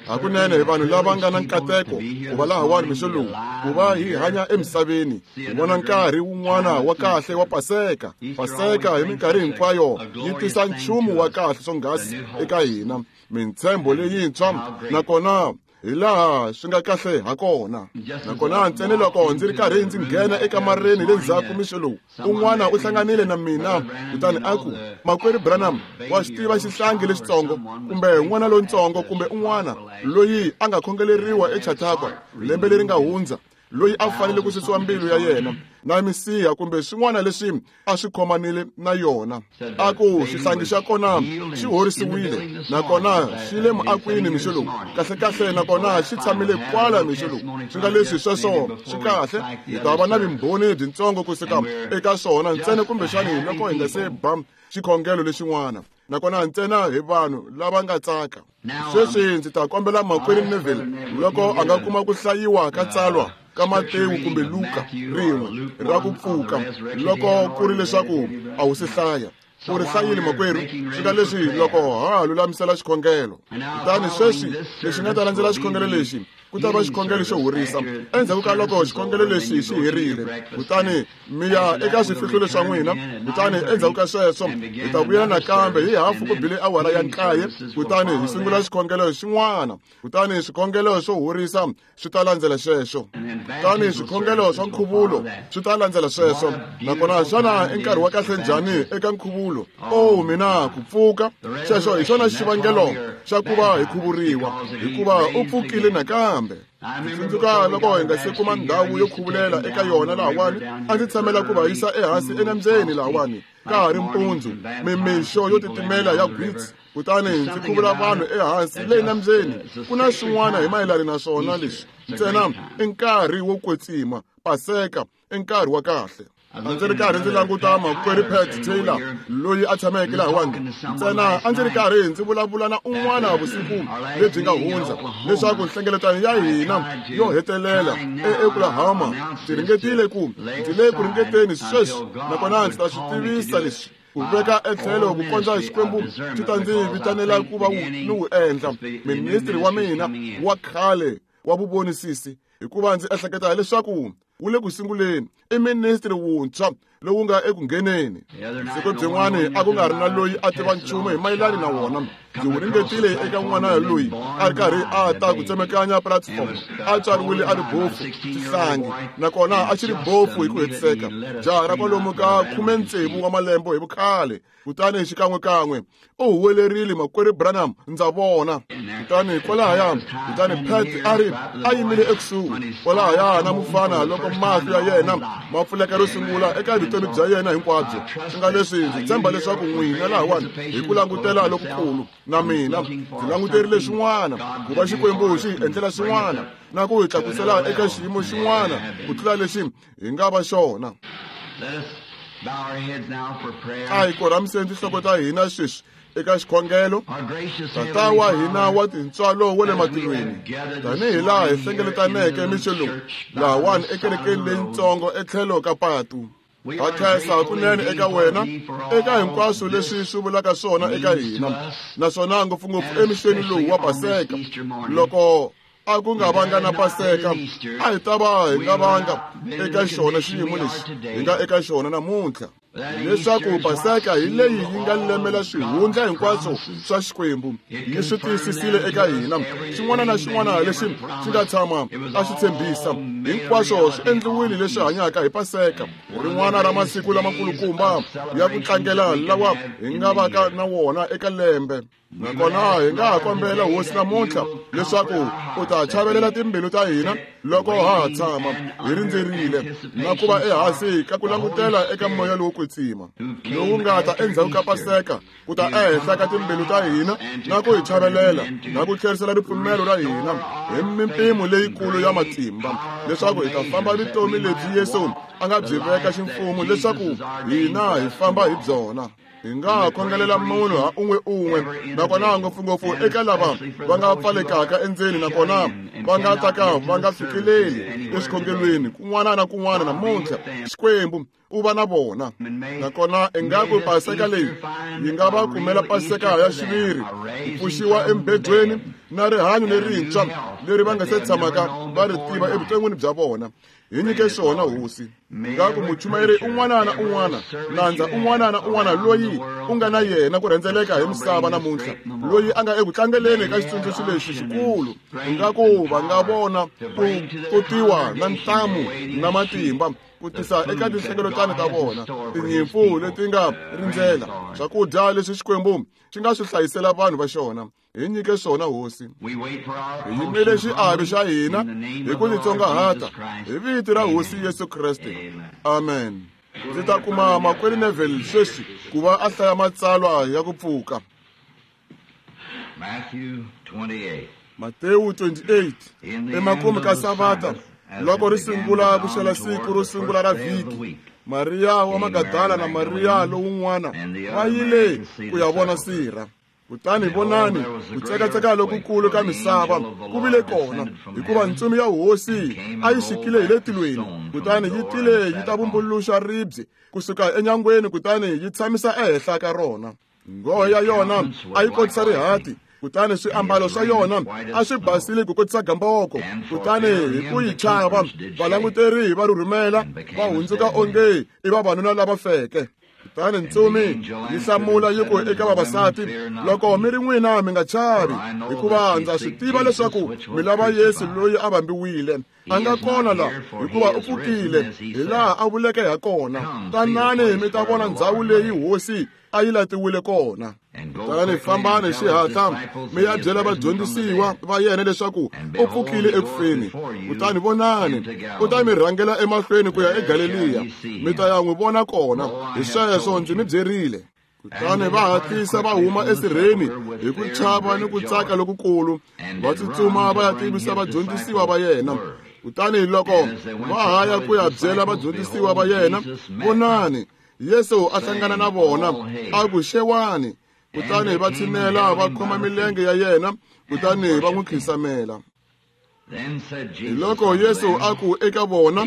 Hakunene hi vanhu lava nga na nkateko ku va lahawani mixo lowu, ku va hi hanya emisaveni, hi vona nkarhi wun'wana wa kahle wa Paseka. Paseka hi minkarhi hinkwayo yi tisa nchumu wa kahle swonghasi eka hina, mintshembo leyintshwa, nakona hi laha swi nga kahle ha kona. Nakona ntsena loko ndzi ri karhi ndzi nghena ekamareni le ndzhaku mixo lowu, un'wana u hlanganile na mina kutani a ku, Makwerhu Branham, wa xi tiva xihlangi lexitsongo kumbe n'wana lontsongo kumbe un'wana loyi a nga khongeleriwa eChautauqua lembe leri nga hundza, loyi a fanele ku susiwa mbilu ya yena na misiha kumbe swin'wana leswi a swi khomanile na yona. A ku xihlangi xa kona xi horisiwile nakona xi le muakwini mixo lowu, kahlekahle, nakona xi tshamile kwala mixo lowu. Swi nga leswi sweswo swi kahle, hi ta va na vumbhoni byintsongo kusuka eka swona ntsena kumbexani loko hi nga se ba xikhongelo lexin'wana, nakona ntsena hi vanhu lava nga tsaka. Sweswi ndzi ta kombela Makwerhu Neville loko a nga kuma ku hlayiwa ka tsalwa ka Matewu kumbe Luka rin'we ra ku pfuka, loko ku ri leswaku a wu si hlaya. U ri hlayile, makwerhu, swi nga leswi loko ha ha lulamisela xikhongelo. Kutani sweswi lexi nga ta landzela xikhongelo lexi ku ta va xikhongelo xo horisa endzhaku ka loko xikhongelo lexi xi herile, kutani mi ya eka swifihlulo swa n'wina. Kutani endzhaku ka sweswo hi ta vuyela nakambe hi hafu ku bile awara ya 9, kutani hi sungula xikhongelo xin'wana. Kutani swikhongelo swo horisa swi ta landzela xexo, kutani swikhongelo swa nkhuvulo swi ta landzela sweswo. Nakona xana i nkarhi wa kahle njhani eka nkhuvulo? O mina, ku pfuka! Xexo hi xona xivangelo xa ku va hi khuvuriwa, hikuva u pfukile nakambe. Ndzi tsundzuka loko hi nga se kuma ndhawu yo khuvulela eka yona lahawani, a ndzi tshamela ku va yisa ehansi enambyeni lahawani ka ha ri mpundzu, mimixo yo titimela ya gwitsi, kutani ndzi khuvula vanhu ehansi le nambyeni. Ku na swin'wana hi mayelana na swona leswi ntsena i nkarhi wo kwetsima. Paseka i nkarhi wa kahle. A ndzi ri karhi ndzi languta Makwerhu Pat Taylor loyi a tshameke lahawani. Ntsena a ndzi ri karhi ndzi vulavula na un'wana vusiku lebyi nga hundza leswaku nhlengeletano ya hina yo hetelela eOklahoma, ndzi ringetile ku, ndzi le ku ringeteni sweswi, nakona ndzi ta swi tivisa leswi ku veka etlhelo ku kondza Xikwembu xi ta ndzi vitanela ku va ni wu endla ministri wa mina wa khale wa vuvonisisi, hikuva ndzi ehleketa leswaku wu le ku sunguleni, i ministri wuntshwa lowu nga eku ngheneni. Siku byin'wana a ku nga ri na loyi a tiva nchumu hi mayelani na wona. Ndzi wu ringetile eka n'wana loyi a ri karhi a ta ku tsemekanya platform, a tswariwile a ri bofu, xihlangi, nakona a xi ri bofu hi ku hetiseka, jaha ra kwalomu ka 16 wa malembe hi vukhale. Kutani xikan'wekan'we u huwelerile, Makwerhu Branham, ndza vona! Kutani kwalahaya, kutani Pat a ri a yimile ekusuhi kwalahaya na mufana loko mahlo ya yena ma pfuleka ro sungula eka vutomi bya yena hinkwabyo. Swi nga leswi ndzi tshemba leswaku n'wina lahawani hi ku langutela lokukulu, na mina ndzi languterile swin'wana, ku va Xikwembu xi hi endlela swin'wana na ku hi tlakusela eka xiyimo xin'wana ku tlula lexi hi nga va xona. A hi korhamiseni tinhloko ta hina sweswi eka xikhongelo. Tata wa hina wa tintswalo wa le matilweni, tanihi laha hi hlengeletaneke mixo lowu lahawani ekerekeni leyintsongo etlhelo ka patu, ha khensa hakunene eka wena eka hinkwaswo leswi swi vulaka swona eka hina, naswona ngopfungopfu emixweni lowu wa Paseka. Loko a ku nga vanga na Paseka, a hi ta va hi nga vanga eka xona xiyimo lexi hi nga eka xona namuntlha, leswaku Paseka hi leyi yi nga lemela swihundla hinkwaswo swa Xikwembu, yi swi tiyisisile eka hina. Xin'wana na xin'wana lexi xi nga tshama a xi tshembisa, hinkwaswo swi endliwile leswi hanyaka hi Paseka, rin'wana ra masiku lamakulukumba ya ku tlangela lawa hi nga vaka na wona eka lembe. Nakona hi nga ha kombela Hosi namuntlha leswaku u ta chavelela timbilu ta hina loko ha ha tshama hi rindzerile na ku va ehansi ka ku langutela eka Moya lowo Kwetsima lowu nga ta endzhaku ka Paseka ku ta ehenhla ka timbilu ta hina na ku hi chavelela na ku tlherisela ripfumelo ra hina hi mimpimo leyikulu ya matimba, leswaku hi ta famba vutomi lebyi Yesu a nga byi veka ximfumo leswaku hina hi famba hi byona. Hi nga ha khongelela munhu ha un'we un'we, nakona ngopfungopfu eka lava va nga pfalekaka endzeni nakona va nga ta ka va nga fikeleli eswikhongelweni kun'wana na kun'wana namuntlha. Xikwembu, u va na vona. Nakona ingaku Paseka leyi yi nga va kumela Paseka ya xiviri, ku pfuxiwa embedweni na rihanyo lerintshwa leri va nga se tshamaka va ri tiva evuton'wini bya vona. Hi nyike swona, Hosi. Ngaku muchumayeri un'wana na un'wana, nandza un'wana na un'wana loyi u nga na yena ku rhendzeleka hi misava namuntlha, loyi a nga eku tlangeleni ka xitsundzuxo lexi xikulu, ingaku va nga vona ku totiwa na ntamu na matimba ku tisa eka tinhlengeletano ta vona tinyimpfu leti nga rindzela swakudya leswi Xikwembu xi nga swi hlayisela vanhu va xona. Hi nyike swona, Hosi. Hi yimele xiave xa hina hi ku titsongahata hi vito ra Hosi Yesu Kreste. Amen. Ndzi ta kuma makwerhu Neville sweswi ku va a hlaya matsalwa ya ku pfuka. Matewu 28. Emakumu ka Savata, loko ri sungula ku xela siku ro sungula ra vhiki, Mariya wa Magadala na Mariya lowun'wana va yile ku ya vona sirha. Kutani vonani, ku tsekatseka lokukulu ka misava ku vile kona, hikuva ntsumi ya Hosi a yi xikile hi le tilweni, kutani yi tile yi ta vumbuluxa ribye kusuka enyangweni, kutani yi tshamisa ehenhla ka rona. Nghohe ya yona a yi kotisa rihati, kutani swiambalo swa yona a swi basile ku kotisa gamboko. Kutani hi ku yi chava, valanguteri va rhurhumela, va hundzuka onge i vavanuna lava feke. Kutani ntsumi yi hlamula yi ku eka vavasati, loko mi ri n'wina mi nga chavi, hikuva ndza swi tiva leswaku mi lava Yesu loyi a vambiwile. A nga kona la, hikuva u pfukile, hi laha a vuleke ha kona. Tanani mi ta vona ndzhawu leyi Hosi a yi latiwile kona. Kutani fambani xihatla mi ya byela vadyondzisiwa va yena leswaku u pfukile ekufeni. Kutani vonani, u ta mi rhangela emahlweni ku ya eGaleliya, mi ta ya n'wi vona kona. Hi sweswo ndzi mi byerile. Kutani va hatlisa va huma esirheni hi ku chava ni ku tsaka lokukulu, va tsutsuma va ya tivisa vadyondzisiwa va yena. Kutani loko va ha ya ku ya byela vadyondzisiwa va yena, vonani, Yesu a hlangana na vona, a ku xewani. Kutani va tshinela va khoma milenge ya yena, kutani va n'wi khisamela. Loko Yesu a ku eka vona,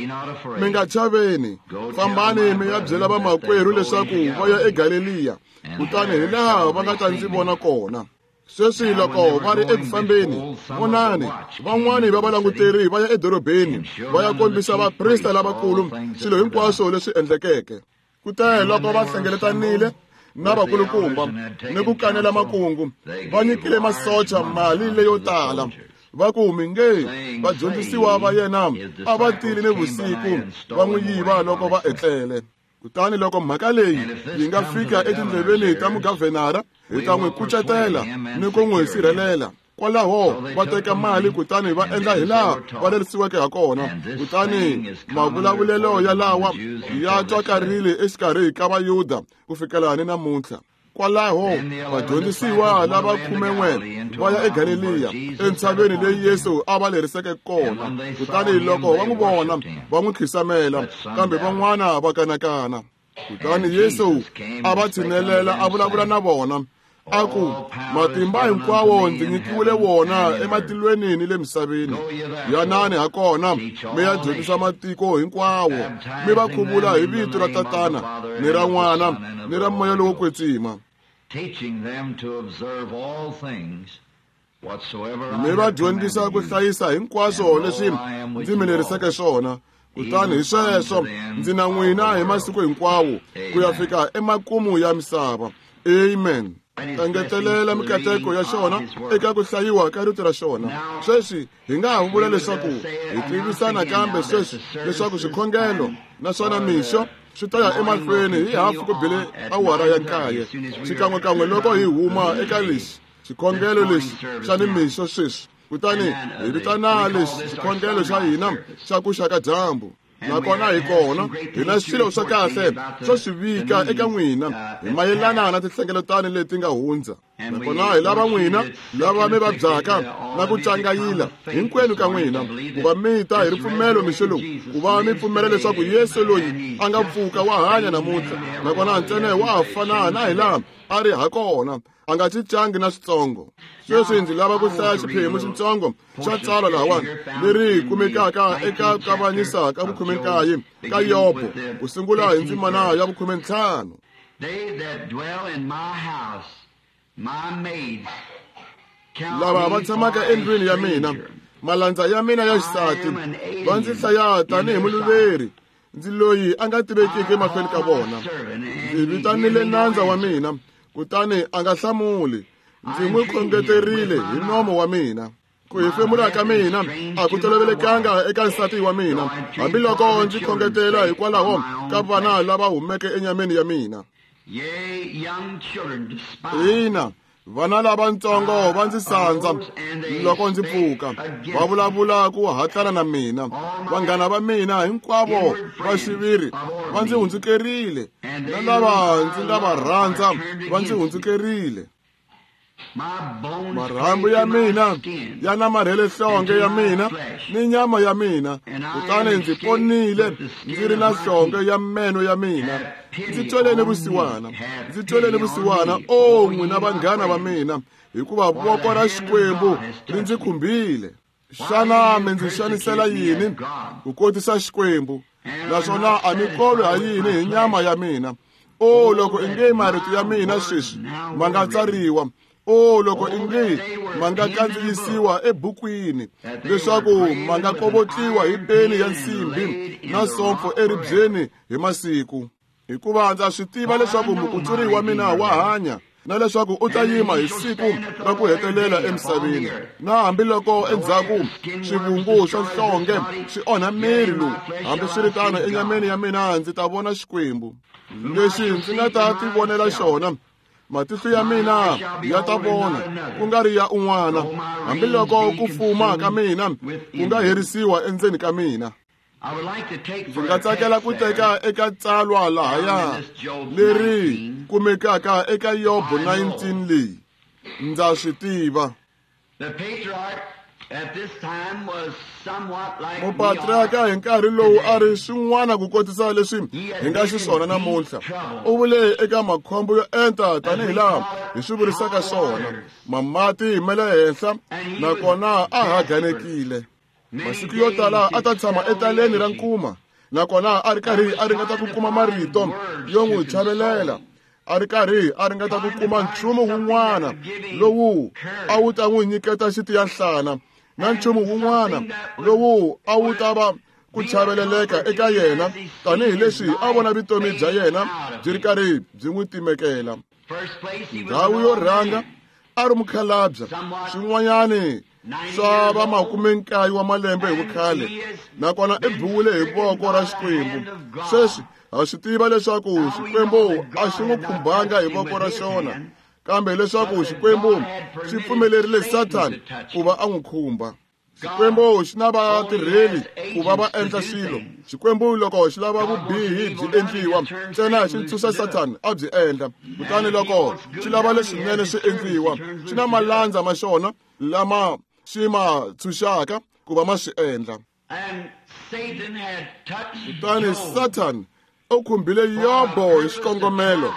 mi nga chaveni, fambani mi ya byela vamakwerhu leswaku va ya eGaleliya, kutani hi laha va nga ta ndzi vona kona. Sweswi loko va ri eku fambeni, vonani, van'wani va valanguteri va ya edorobeni va ya kombisa vaprista lavakulu swilo hinkwaswo leswi endlekeke. Kute loko va hlengeletanile na vakulukumba ni ku kanela makungu, va nyikile masocha mali leyo tala, va ku mi nge vadyondzisiwa va yena a va tile ni vusiku va n'wi yiva loko va etlele. Kutani loko mhaka leyi yi nga fika etindleveni ta mugavhenara, hi ta n'wi kucetela ni ku n'wi sirhelela. Kwalaho va teka mali kutani va endla hi laha va lerisiweke ha kona. Kutani mavulavulelo ya lawa ya twakarile exikarhi ka Vayuda ku fikela ni namuntlha. Kwalaho vadyondzisiwa lava 11 va ya eGaleliya, entshaveni leyi Yesu a va leriseke kona. Kutani loko va n'wi vona, va n'wi khisamela, kambe van'wana va kanakana. Kutani Yesu a va tshinelela a vulavula na vona, a ku, matimba hinkwawo ndzi nyikiwile wona ematilweni ni le misaveni. Yanani ha kona mi ya dyondzisa matiko hinkwawo, mi va khuvula hi vito ra Tatana ni ra N'wana ni ra Moya lowo Kwetsima, mi va dyondzisa ku hlayisa hinkwaswo leswi ndzi mi leriseke swona. Kutani hi sweswo ndzi na n'wina hi masiku hinkwawo ku ya fika emakumu ya misava. Amen. Engetelela mikateko ya xona eka ku hlayiwa ka rito ra xona. Sweswi hi nga ha vula leswaku hi tivisa nakambe sweswi leswaku swikhongelo naswona mixo swi ta ya emahlweni hi hafu ku bile awara ya 9, xikan'wekan'we loko hi huma eka lexi xikhongelo lexi xa nimixo sweswi. Kutani hi vitana lexi xikhongelo xa hina xa ku xa ka dyambu. Nakona hi kona hi na swilo swa kahle swo swi vika eka n'wina hi mayelana na tinhlengeletano leti nga hundza. Nakona hi lava n'wina lava mi vabyaka na ku cangayila hinkwenu ka n'wina ku va mi ta hi ripfumelo mixo lowu, ku va mi pfumela leswaku Yesu loyi a nga pfuka wa hanya namuntlha, nakona ntsena wa ha fana na hi laha a ri hakona, a nga cincangi na switsongo. Sweswi ndzi lava ku hlaya xiphemu xitsongo xa tsalwa lahawani leri kumekaka eka kavanyisa ka vukhume-nkaye ka Yobo, ku sungula hi ndzimana ya vukhume-ntlhanu. Lava va tshamaka endlwini ya mina, malandza ya mina ya xisati, va ndzi hlaya tanihi muluveri, ndzi loyi a nga tivekiki emahlweni ka vona. Ndzi vitanile nandza wa mina, kutani a nga hlamuli. Ndzi n'wi khongeterile hi nomo wa mina. Ku hefemula ka mina a ku tolovelekanga eka nsati wa mina, hambiloko ndzi khongetela hikwalaho ka vana lava humeke enyameni ya mina. Ina, vana lavatsongo va ndzi sandza loko ndzi pfuka, va vulavula ku hatlana na mina. Vanghana va mina hinkwavo va xiviri va ndzi hundzukerile, na lava ndzi nga va rhandza va ndzi hundzukerile. Marhambu ya mina ya namarhele nhlonge ya mina ni nyama ya mina, kutani ndzi ponile ndzi ri na nhlonge ya meno ya mina. Ndzi tweleni vusiwana, ndzi tweleni vusiwana, o n'wina vanghana va mina, hikuva voko ra Xikwembu ri ndzi khumbile. Xana mi ndzi xanisela yini ku kotisa Xikwembu, naswona a mi kolwi ha yini hi nyama ya mina? O loko inge marito ya mina sweswi ma nga tsariwa, o loko inge ma nga kandziyisiwa ebukwini, leswaku ma nga kovotliwa hi peni ya nsimbi na sompfo eribyeni hi masiku. Hikuva ndza swi tiva leswaku mukutsuri wa mina wa hanya, na leswaku u ta yima hi siku ra ku hetelela emisaveni. Na hambiloko endzhaku swivungu swa nhlonge swi onha miri lowu, hambiswiritano enyameni ya mina ndzi ta vona Xikwembu. Lexi ndzi nga ta tivonela xona, matihlo ya mina ya ta vona, ku nga ri ya un'wana, hambiloko ku fuma ka mina ku nga herisiwa endzeni ka mina. Ndzi nga tsakela ku teka eka tsalwa lahaya leri kumekaka eka Yobo 19 leyi. Ndza swi tiva. Mupatriarka hi nkarhi lowu a ri swin'wana ku kotisa leswi hi nga xiswona namuntlha. U vule eka makhombo yo enta tanihi laha hi swi vurisaka swona, mamati ma le henhla, nakona a haganekile. Masiku yo tala a ta tshama etaleni ra nkuma, nakona a ri karhi a ringeta ku kuma marito yo n'wi chavelela, a ri karhi a ringeta ku kuma nchumu wun'wana lowu a wu ta n'wi nyiketa xitiyanhlana, na nchumu wun'wana lowu a wu ta va ku chaveleleka eka yena, tanihileswi a vona vutomi bya yena byi ri karhi byi n'wi timekela. Ndhawu yo rhanga a ri mukhalabya, swin'wanyani swa va 19 wa malembe hi vukhale, nakona i biwile hi voko ra Xikwembu. Sweswi ha swi tiva leswaku Xikwembu a xi n'wi khumbanga hi voko ra xona, kambe leswaku Xikwembu xi pfumelerile Sathana ku va a n'wi khumba. Xikwembu xi na vatirheli ku va va endla swilo. Xikwembu loko xi lava vubihi byi endliwa, ntsena xi ntshunxa Sathana a byi endla. Kutani loko xi lava leswinene swi endliwa, xi na malandza ma xona lama xi ma tshunxaka ku va ma swi endla. Kutani Sathana u khumbile Yobo hi xikongomelo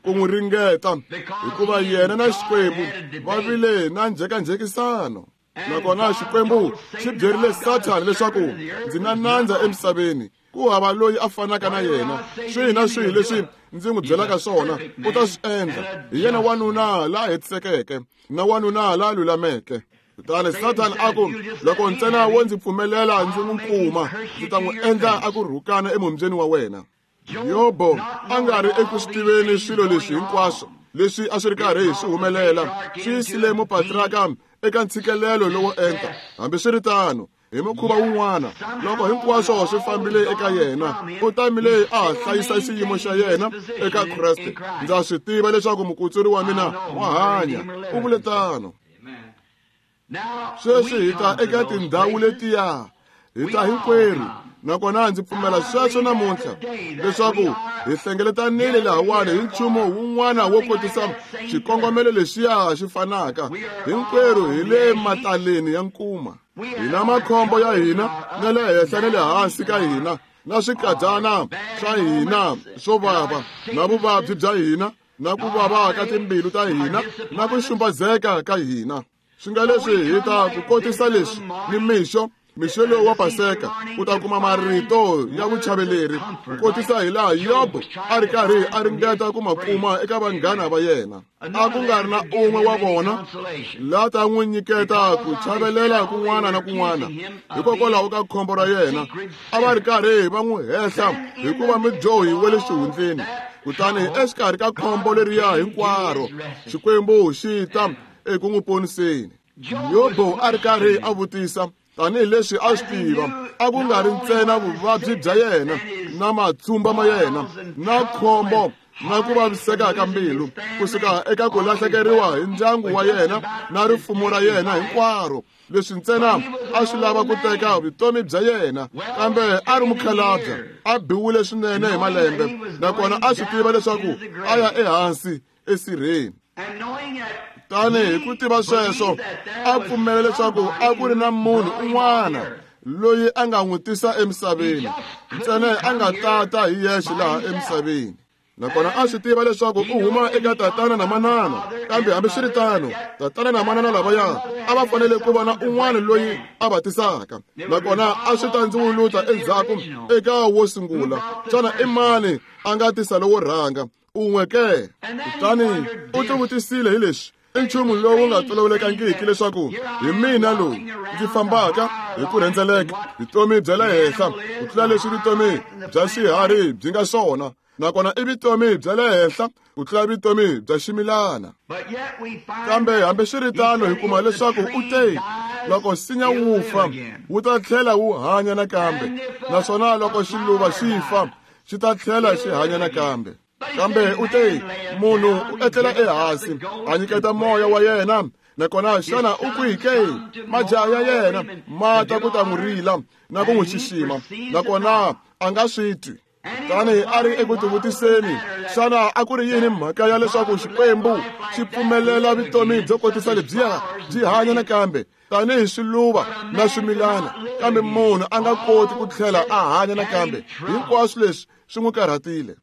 ku n'wi ringeta, hikuva yena na Xikwembu va vile na njhekanjhekisano. Nakona Xikwembu xi byerile Sathana leswaku ndzi na nandza emisaveni, ku hava loyi a fanaka na yena. Swihi na swihi leswi ndzi n'wi byelaka swona u ta swi endla. Hi yena wanuna la hetisekeke na wanuna la lulameke. Kutani Sathana a ku, loko ntsena wo ndzi pfumelela ndzi n'wi kuma, ndzi ta n'wi endla a ku rhukana emombyeni wa wena. Yobo a nga ri eku swi tiveni swilo leswi hinkwaswo leswi a swi ri karhi swi humelela, swi yisile mupatriarka eka ntshikelelo lowo enta. Hambiswiritano, hi mukhuva wun'wana, loko hinkwaswo swi fambile eka yena, u tamile a hlayisa xiyimo xa yena eka Kreste. Ndza swi tiva leswaku mukutsuri wa mina wa hanya, u vule tano. Sweswi hi ta eka tindhawu letiya, hi ta hinkwerhu, nakona ndzi pfumela sweswo namuntlha leswaku hi hlengeletanile lahawani hi nchumu wun'wana wo kotisa xikongomelo lexiya xi fanaka. Hinkwerhu hi le mataleni ya nkuma, hi na makhombo ya hina na le henhla na le hansi ka hina, na swikadyana swa hina swo vava, na vuvabyi bya hina, na ku vava ka timbilu ta hina na ku xumbazeka ka hina. Swi nga leswi hi ta ku kotisa leswi ni mixo mixo lowu wa Paseka u ta kuma marito ya vuchaveleri ku kotisa hi laha Yobo a ri karhi a ringeta ku ma kuma eka vanghana va yena. A ku nga ri na un'we wa vona la ta n'wi nyiketa ku chavelela kun'wana na kun'wana hikokwalaho ka khombo ra yena. A va ri karhi va n'wi hehla hikuva mudyohi wa le xihundleni. Kutani exikarhi ka khombo leriya hinkwaro Xikwembu xi ta eku n'wi poniseni. Yobo a ri karhi a vutisa tanihileswi a swi tiva a ku nga ri ntsena vuvabyi bya yena na matshumba ma yena na khombo na ku vaviseka ka mbilu kusuka eka ku lahlekeriwa hi ndyangu wa yena na rifumo ra yena hinkwaro leswi ntsena a swi lava ku teka vutomi bya yena, kambe a ri mukhalabye a biwile swinene hi malembe nakona a swi tiva leswaku a ya ehansi esirheni. Tani hi ku tiva sweswo a pfumela leswaku a ku ri na munhu un'wana loyi a nga n'wi tisa emisaveni ntsena a nga tata hi yexe laha emisaveni. Nakona a swi tiva leswaku u huma eka tatana na manana, kambe hambiswiritano tatana na manana lavaya a va fanele ku va na un'wana loyi a va tisaka. Nakona a swi ta ndzi wuluta endzhaku eka wo sungula. Xana i mani a nga tisa lowo rhanga? Un'we ke. Kutani u tivutisile hi leswi i nchumu lowu nga tolovelekangiki leswaku hi mina lowu ndzi fambaka hi ku rhendzeleka vutomi bya le henhla ku tlula leswi vutomi bya swiharhi byi nga swona, nakona i vutomi bya le henhla ku tlula vutomi bya ximilana. Kambe hambiswiritano hi kuma leswaku u te loko nsinya wu fa wu ta tlhela wu hanya nakambe, naswona loko xiluva xi fa xi ta tlhela xi hanya nakambe. Kambe u te munhu u etlela ehansi a nyiketa moya wa yena, nakona xana u kwihi ke? Majaha ya yena ma ta ku ta n'wi rila na ku n'wi xixima, nakona a nga swi twi. Tani a ri eku tivutiseni, xana a ku ri yini mhaka ya leswaku Xikwembu xi pfumelela vutomi byo kotisa lebyiya byi hanya nakambe tanihi swiluva na swimilana, kambe munhu a nga koti ku tlhela a hanya nakambe? Hinkwaswo leswi swi n'wi karhatile.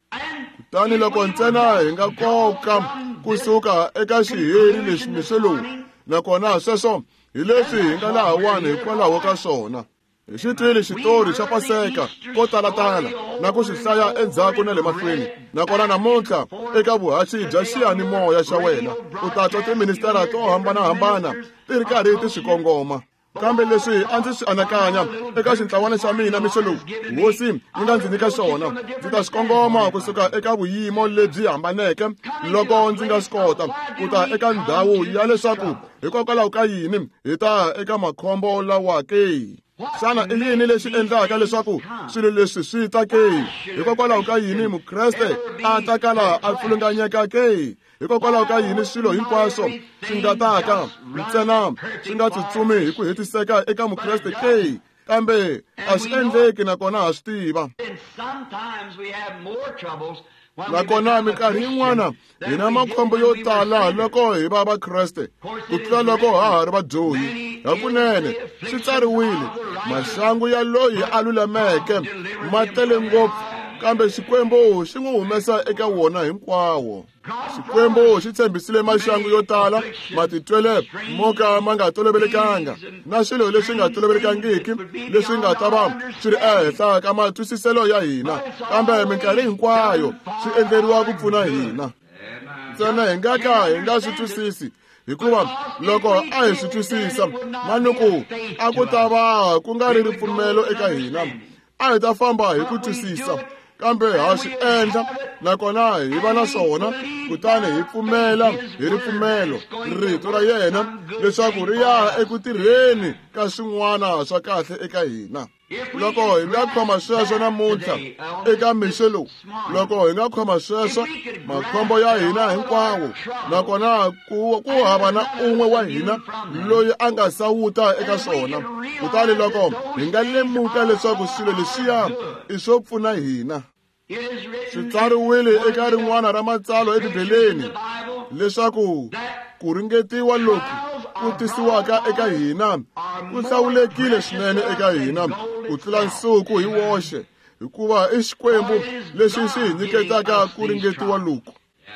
Kutani loko ntsena hi nga koka kusuka eka xiheri lexi mixo lowu, nakona sweswo hi leswi hi nga lahawani hikwalaho ka swona. Hi xi twile xitori xa Paseka ko talatala na ku xi hlaya endzhaku na le mahlweni, nakona namuntlha eka vuhaxi bya xiyanimoya xa wena u ta twa tiministara to hambanahambana ti ri karhi ti swi kongoma. Kambe leswi a ndzi swi anakanya eka xintlawana xa mina mixo lowu hosi yi nga ndzi nyika xona, ndzi ta swi kongoma kusuka eka vuyimo lebyi hambaneke loko ndzi nga swi kota ku ta eka ndhawu ya leswaku hikokwalaho ka yini hi ta eka makhombo lawa ke. Xana i yini lexi endlaka leswaku swilo leswi swi ta ke? Hikokwalaho ka yini Mukreste a ta kala a pfulunganyeka ke? Hikokwalaho ka yini swilo hinkwaswo swi nga taka ntsena swi nga tsutsumi hi ku hetiseka eka Mukreste ke? Kambe a swi endleki, nakona ha swi tiva. Nakona minkarhi yin'wana hi na makhombo yo tala loko hi va Vakreste ku tlula loko ha ha ri vadyohi. Hakunene swi tsariwile, maxangu ya loyi a lulameke ma tele ngopfu, kambe Xikwembu xi n'wi humesa eka wona hinkwawo. Xikwembu xi tshembisile maxangu yo tala, matitwele mo ka ma nga tolovelekanga na swilo leswi nga tolovelekangiki leswi nga ta va swi ri ehenhla ka matwisiselo ya hina, kambe minkarhi hinkwayo swi endleriwa ku pfuna hina. Ntsena hi nga ka hi nga swi twisisi, hikuva loko a hi swi twisisa manuku a ku ta va ku nga ri ripfumelo eka hina, a hi ta famba hi ku twisisa. Kambe ha swi endla, nakona hi va na swona, kutani hi pfumela hi ripfumelo rito ra yena leswaku ri ya eku tirheni ka swin'wana swa kahle eka hina. Loko hi nga khoma sweswo namuntlha eka mixo lowu, loko hi nga khoma sweswo makhombo ya hina hinkwawo, nakona ku hava na un'we wa hina loyi a nga sawuta eka swona, kutani loko hi nga lemuka leswaku swilo leswiya i swo pfuna hina. Swi tsariwile eka rin'wana ra matsalwa eBibeleni leswaku ku ringetiwa loku ku tisiwaka eka hina ku hlawulekile swinene eka hina ku tlula nsuku hi woxe, hikuva i Xikwembu lexi xi hi nyiketaka ku ringetiwa loku.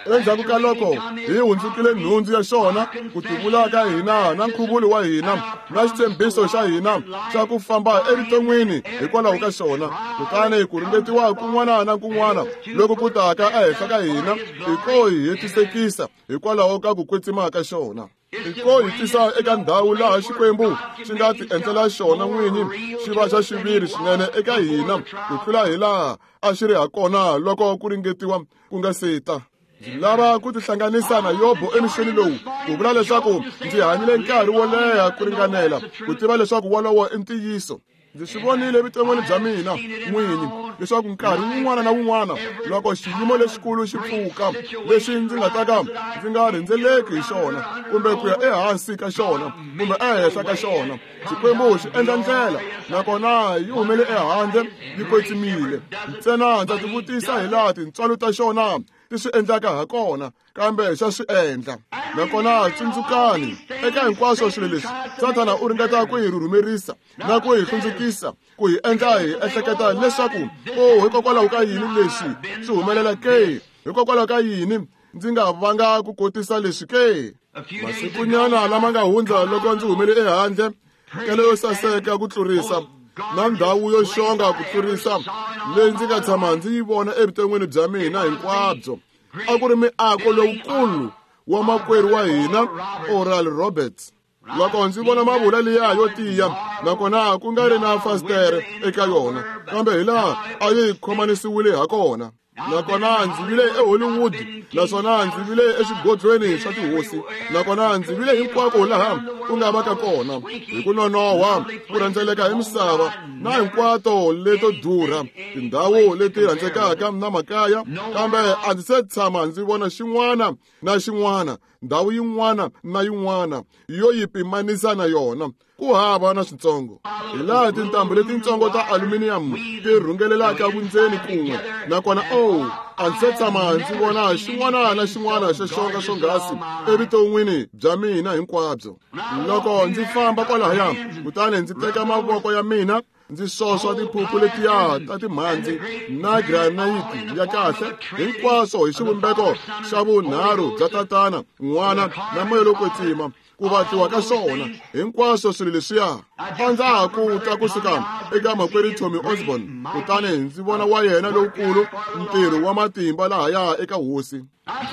Endzhaku ka loko hi hundzukile nhundzu ya xona, ku tivula ka hina na nkhuvulo wa hina na xitshembiso xa hina xa ku famba evuton'wini hikwalaho ka xona, kutani ku ringetiwa kun'wana na kun'wana loku ku taka ehenhla ka hina i ko hi hetisekisa hikwalaho ka ku kwetsima ka xona. I ko hi tisa eka ndhawu laha Xikwembu xi nga ti endlela xona n'winyi xi va xa xiviri swinene eka hina ku tlula hi laha a xi ri ha kona loko ku ringetiwa ku nga se ta. Ndzi lava ku tihlanganisa na Yobo emixweni lowu ku vula leswaku ndzi hanyile nkarhi wo leha ku ringanela ku tiva leswaku wolowo i ntiyiso. Ndzi swi vonile evuton'wini bya mina n'winyi leswaku nkarhi wun'wana na wun'wana loko xiyimo lexikulu xi pfuka lexi ndzi nga ta ka ndzi nga rhendzeleki hi xona kumbe ku ya ehansi ka xona kumbe ehenhla ka xona, Xikwembu xi endla ndlela nakona yi humele ehandle yi kwetsimile. Ntsena ndza tivutisa hi laha tintswalo ta xona ti swi endlaka ha kona, kambe xa swi endla. Nakona tsundzukani, eka hinkwaswo swilo leswi, Sathana u ringeta ku hi rhurhumerisa na ku hi hlundzukisa, ku hi endla hi ehleketa leswaku, o, hikokwalaho ka yini leswi swi humelela ke? Hikokwalaho ka yini ndzi nga vanga ku kotisa leswi ke? Masikunyana lama nga hundza loko ndzi humele ehandle, kele yo saseka ku tlurisa na ndhawu yo xonga ku tlurisa leyi ndzi nga tshama ndzi yi vona evuton'wini bya mina hinkwabyo, a ku ri miako lowukulu wa makwerhu wa hina Oral Roberts. Loko ndzi vona mavula liya yo tiya nakona ku nga ri na fasitere eka yona, kambe hi laha a yi khomanisiwile ha kona. Nakona ndzi vile eHollywood, naswona ndzi vile eswigodlweni swa tihosi, nakona ndzi vile hinkwako laha ku nga va ka kona hi ku nonohwa ku rhendzeleka hi misava na hinkwato leto durha, tindhawu leti rhandzekaka na makaya, kambe a ndzi se tshama ndzi vona xin'wana na xin'wana, ndhawu yin'wana na yin'wana yo yi pimanisa na yona. Ku hava na switsongo. Hi laha tintambu letintsongo ta aluminium ti rhungelelaka vundzeni kun'we, nakona o, a ndzi se tshama ndzi vona xin'wana na xin'wana xo xonga swonghasi evuton'wini bya mina hinkwabyo. Loko ndzi famba kwalahaya, kutani ndzi teka mavoko ya mina ndzi swoswa tiphuphu letiya ta timhandzi na granayiti ya kahle, hinkwaswo hi xivumbeko xa vunharhu bya Tatana, N'wana na Moya lowo Kwetsima, ku vatliwa ka swona hinkwaswo swilo leswiya. A ndza ha ku ta kusuka eka makwerhu Tommy Osborn, kutani ndzi vona wa yena lowukulu ntirho wa matimba lahaya eka hosi.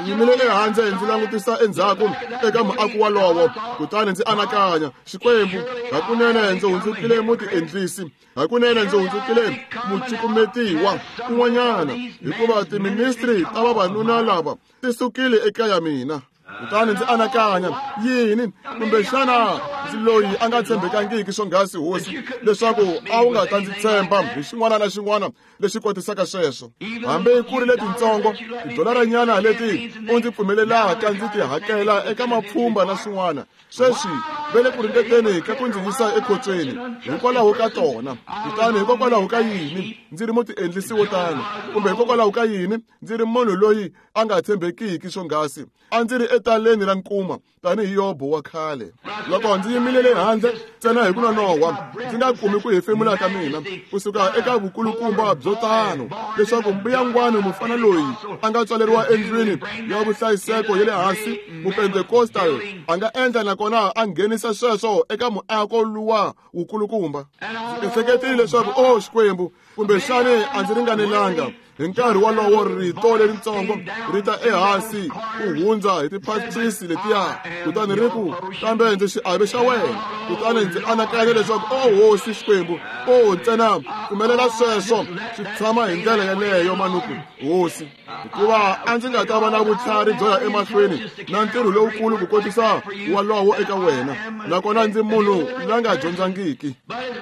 Ndzi yimile ehandle ndzi langutisa endzhaku eka muako walowo, kutani ndzi anakanya, Xikwembu, hakunene ndzi hundzukile mutiendlisi, hakunene ndzi hundzukile mucukumetiwa kun'wanyana, hikuva tiministri ta vavanuna lava ti sukile eka ya mina. Kutani ndzi anakanya, yini, kumbexana ndzi loyi a nga tshembekangiki swonghasi, hosi, leswaku a wu nga ta ndzi tshemba hi xin'wana na xin'wana lexi kotisaka sweswo, hambi ku ri letintsongo tidolaranyana leti u ndzi pfumelelaka ndzi ti hakela eka mapfhumba na swin'wana. Sweswi va le ku ringeteni ka ku ndzi yisa ekhotsweni hikwalaho ka tona. Kutani hikokwalaho ka yini ndzi ri mutiendlisi wo tano, kumbe hikokwalaho ka yini ndzi ri munhu loyi a nga tshembekiki swonghasi? A ndzi ri etaleni ra nkuma tanihi Yobo wa khale. Loko ndzi yimile le handle ntsena hi ku nonohwa, ndzi nga kumi ku hefemula ka mina kusuka eka vukulukumba byo tano, leswaku mbuyangwani mufana loyi a nga tswaleriwa endlwini ya vuhlayiseko ya le hansi, Mupentecostal, a nga endla nakona a nghenisa sweswo eka muako luwa wukulukumba. Ndzi ehleketile leswaku, o Xikwembu, kumbexani a ndzi ringanelanga. Hi nkarhi wolowo rito leritsongo ri ta ehansi ku hundza hi tiphatsisi letiya, kutani ri ku, kambe ndzi xiave xa wena. Kutani ndzi anakanya leswaku, o hosi Xikwembu, o ntsena pfumelela sweswo swi tshama hi ndlela yeleyo manuku, hosi, hikuva a ndzi nga ta va na vutlhari byo ya emahlweni na ntirho lowukulu ku kotisa walowo eka wena, nakona ndzi munhu la nga dyondzangiki.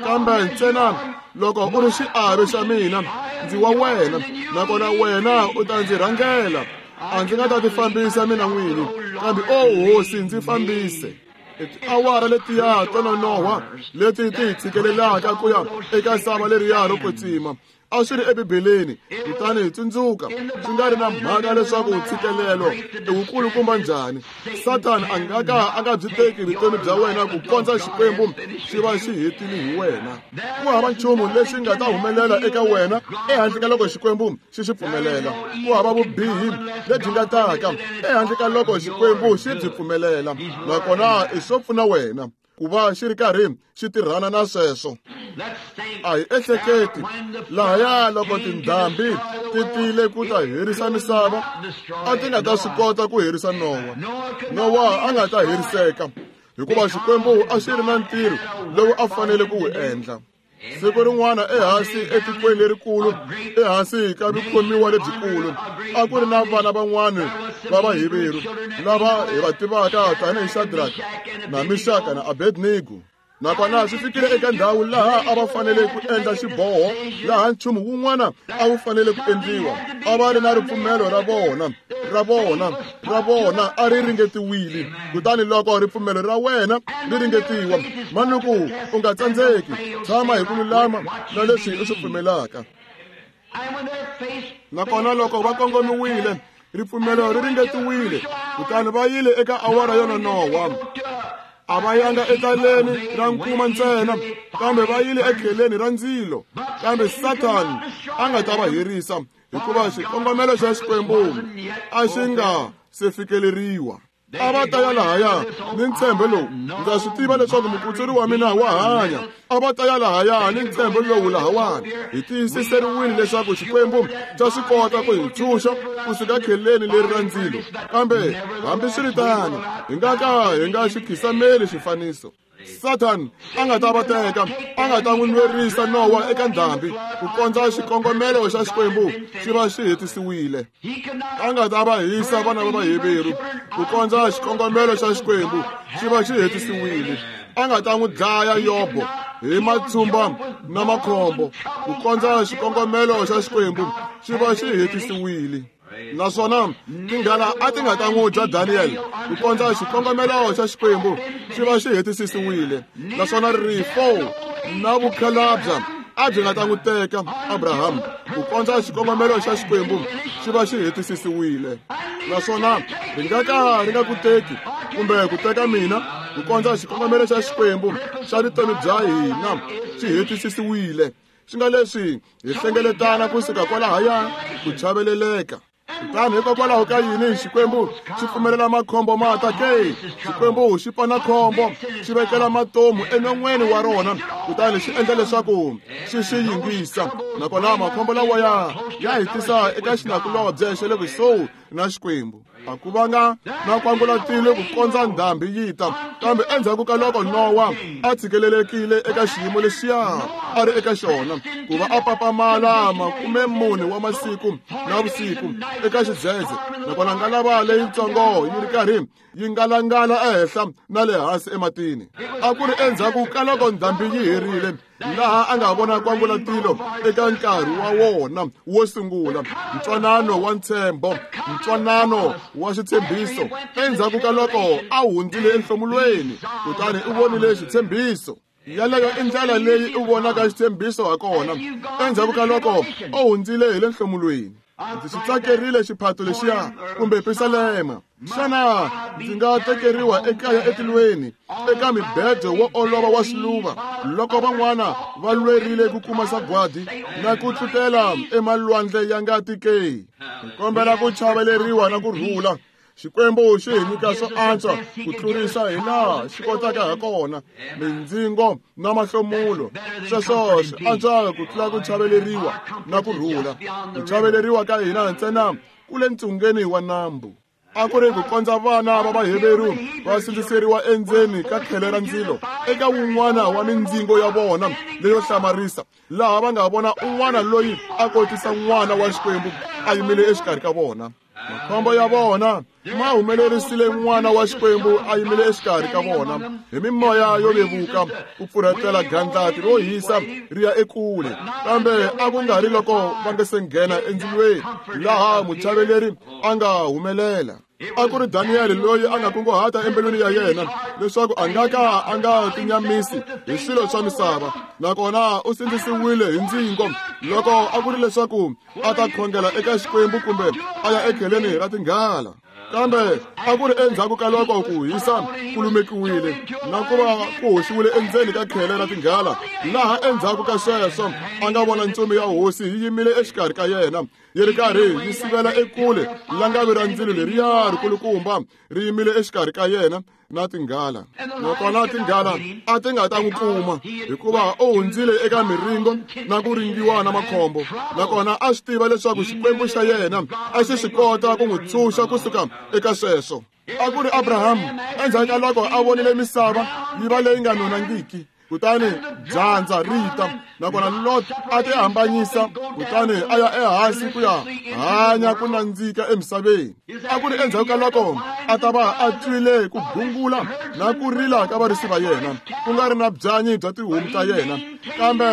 Kambe ntsena loko u ri xiave xa mina, ndzi wa wena, nakona wena u ta ndzi rhangela. A ndzi nga ta tifambisa mina n'wini, kambe o hosi, ndzi fambise. I tiawara letiya to nonohwa leti ti hi tshikelelaka ku ya eka sava leriya ro kwetsima. A swi ri eBibeleni. Kutani hi tsundzuka, swi nga ri na mhaka leswaku ntshikelelo i wukulukumba njhani, Sathana a nga ka a nga byi teki vutomi bya wena ku kondza Xikwembu xi va xi hetile hi wena. Ku hava nchumu lexi nga ta humelela eka wena ehandle ka loko Xikwembu xi xi pfumelela. Ku hava vubihi lebyi nga taka ehandle ka loko Xikwembu xi byi pfumelela, nakona i swo pfuna wena ku va xi ri karhi xi tirhana na sweswo. A hi ehleketi lahaya loko tindhambi ti tile ku ta herisa misava, a ti nga ta swi kota ku herisa Nowa. Nowa a nga ta heriseka hikuva Xikwembu a xi ri na ntirho lowu a fanele ku wu endla. Siku rin'wana ehansi etikweni lerikulu, ehansi ka vukhomiwa lebyikulu, a ku ri na vana van'wana va Vaheveru lava hi va tivaka tanihi Shadraka na Mixaka na Abednego. Nakona swi fikile eka ndhawu laha a va fanele ku endla xiboho, laha nchumu wun'wana a wu fanele ku endliwa. A va ri na ripfumelo ra vona, ra vona, ra vona a ri ringetiwile. Kutani loko ripfumelo ra wena ri ringetiwa, manuku u nga tsandzeki, tshama hi ku lulama na leswi u swi pfumelaka. Nakona loko va kongomiwile, ripfumelo ri ringetiwile, kutani va yile eka awara yo nonohwa. A va yanga etaleni ra nkuma ntsena, kambe va yile ekheleni ra ndzilo. Kambe Sathana a nga ta va herisa, hikuva xikongomelo xa Xikwembu a xi nga se fikeleriwa. A va ta ya lahaya ni ntshembo lowu, ndza swi tiva leswaku mukutsuri wa mina wa hanya. A va ta ya lahaya ni ntshembo lowu lahawani. Hi tiyisiseriwile leswaku Xikwembu xa swi kota ku hi ntshunxa kusuka kheleni leri ra ndzilo. Kambe hambiswiritano, hi nga ka hi nga xi khisameli xifaniso. Satan a nga ta va teka, a nga ta n'wi nwerisa Nowa eka ndhambi ku kondza xikongomelo xa Xikwembu xi va xi hetisiwile. A nga ta va hisa vana va Vaheveru ku kondza xikongomelo xa Xikwembu xi va xi hetisiwile. A nga ta n'wi dlaya Yobo hi matshumba na makhombo ku kondza xikongomelo xa Xikwembu xi va xi hetisiwile. Naswona tinghala a ti nga ta n'wi dya Daniel ku kondza xikongomelo xa Xikwembu xi va xi hetisisiwile. Naswona rifo na vukhalabya a byi nga ta n'wi teka Abraham ku kondza xikongomelo xa Xikwembu xi va xi hetisisiwile. Naswona ri nga ka ri nga ku teki kumbe ku teka mina ku kondza xikongomelo xa Xikwembu xa vutomi bya hina xi hetisisiwile. Swi nga leswi hi hlengeletana kusuka kwalahaya ku chaveleleka. Kutani hikokwalaho ka yini Xikwembu xi pfumelela makhombo ma ta ke? Xikwembu xi pana khombo, xi vekela matomu enon'weni wa rona, kutani xi endla leswaku xi xi yingisa. Nakona makhombo lawa ya hi tisa eka xinakulobye xa le kusuhi na Xikwembu. A ku vanga na kwangulatile ku kondza ndhambi yi ta, kambe endzhaku ka loko Nowa a tshikelelekile eka xiyimo lexiya a ri eka xona, ku va a papamala 40 wa masiku na vusiku eka xidzedze, nakona ngalava leyitsongo yi ri karhi yi ngalangala ehenhla na le hansi ematini. A ku ri endzhaku ka loko ndhambi yi herile, laha a nga vona kwangulatilo eka nkarhi wa wona wo sungula, ntwanano wa ntshembo, ntwanano wa xitshembiso. Endzhaku ka loko a hundzile enhlomulweni, kutani u vonile xitshembiso. Yaleyo i ndlela leyi u vonaka xitshembiso ha kona endzhaku ka loko u hundzile hi le nhlomulweni. Ndzi xi tsakerile xiphato lexiya kumbe pisalema. Xana ndzi nga tekeriwa ekaya etilweni eka mibedo wo olova wa swiluva loko van'wana va lwerile ku kuma sagwadi na ku tlutela emalwandle ya ngati ke? Hi kombela ku chaveleriwa na ku rhula. Xikwembu xi hi nyika swo antswa ku tlurisa hi laha xi kotaka ha kona, mindzingo na mahlomulo. Sweswo swi antswa ku tlula ku chaveleriwa na ku rhula. Ku chaveleriwa ka hina ntsena ku le ntsungeni wa nambu. A ku ri ku kondza vana va Vaheveru va sindziseriwa endzeni ka khele ra ndzilo eka wun'wana wa mindzingo ya vona leyo hlamarisa, laha va nga vona un'wana loyi a kotisa n'wana wa Xikwembu a yimile exikarhi ka vona. Makhombo ya vona ma humelerisile n'wana wa Xikwembu a yimile exikarhi ka vona hi mimoya yo vevuka ku pfurhetela gandlati ro hisa ri ya ekule. Kambe a ku nga ri loko va nga se nghena endzilweni laha muchaveleri a nga humelela. A ku ri Daniyele loyi a nga kunguhata embilwini ya yena leswaku a nga ka a nga tinyamisi hi swilo swa misava, nakona u sindzisiwile hi ndzingo loko a ku ri leswaku a ta khongela eka Xikwembu kumbe a ya ekheleni ra tinghala. Kambe a ku ri endzhaku ka loko ku hisa ku lumekiwile na ku va ku hoxiwile endzeni ka khele ra tinghala, laha endzhaku ka sweswo a nga vona ntsumi ya hosi yi yimile exikarhi ka yena, yi ri karhi yi sivela ekule langavi ra ndzilo leriya rikulukumba ri yimile exikarhi ka yena na tinghala. Nakona tinghala a ti nga ta n'wi kuma, hikuva u hundzile eka miringo na ku ringiwa na makhombo, nakona a swi tiva leswaku Xikwembu xa yena a xi swi kota ku n'wi tshunxa kusuka eka sweswo. A ku ri Abrahamu endzhaku ka loko a vonile misava yi va leyi nga nonangiki, kutani dyandza ri ta, nakona Lot a ti hambanyisa kutani a ya ehansi ku ya hanya ku nandzika emisaveni. A ku ri endzhaku ka loko a ta va a twile ku gungula na ku rila ka varisi va yena, ku nga ri na byanyi bya tihomu ta yena, kambe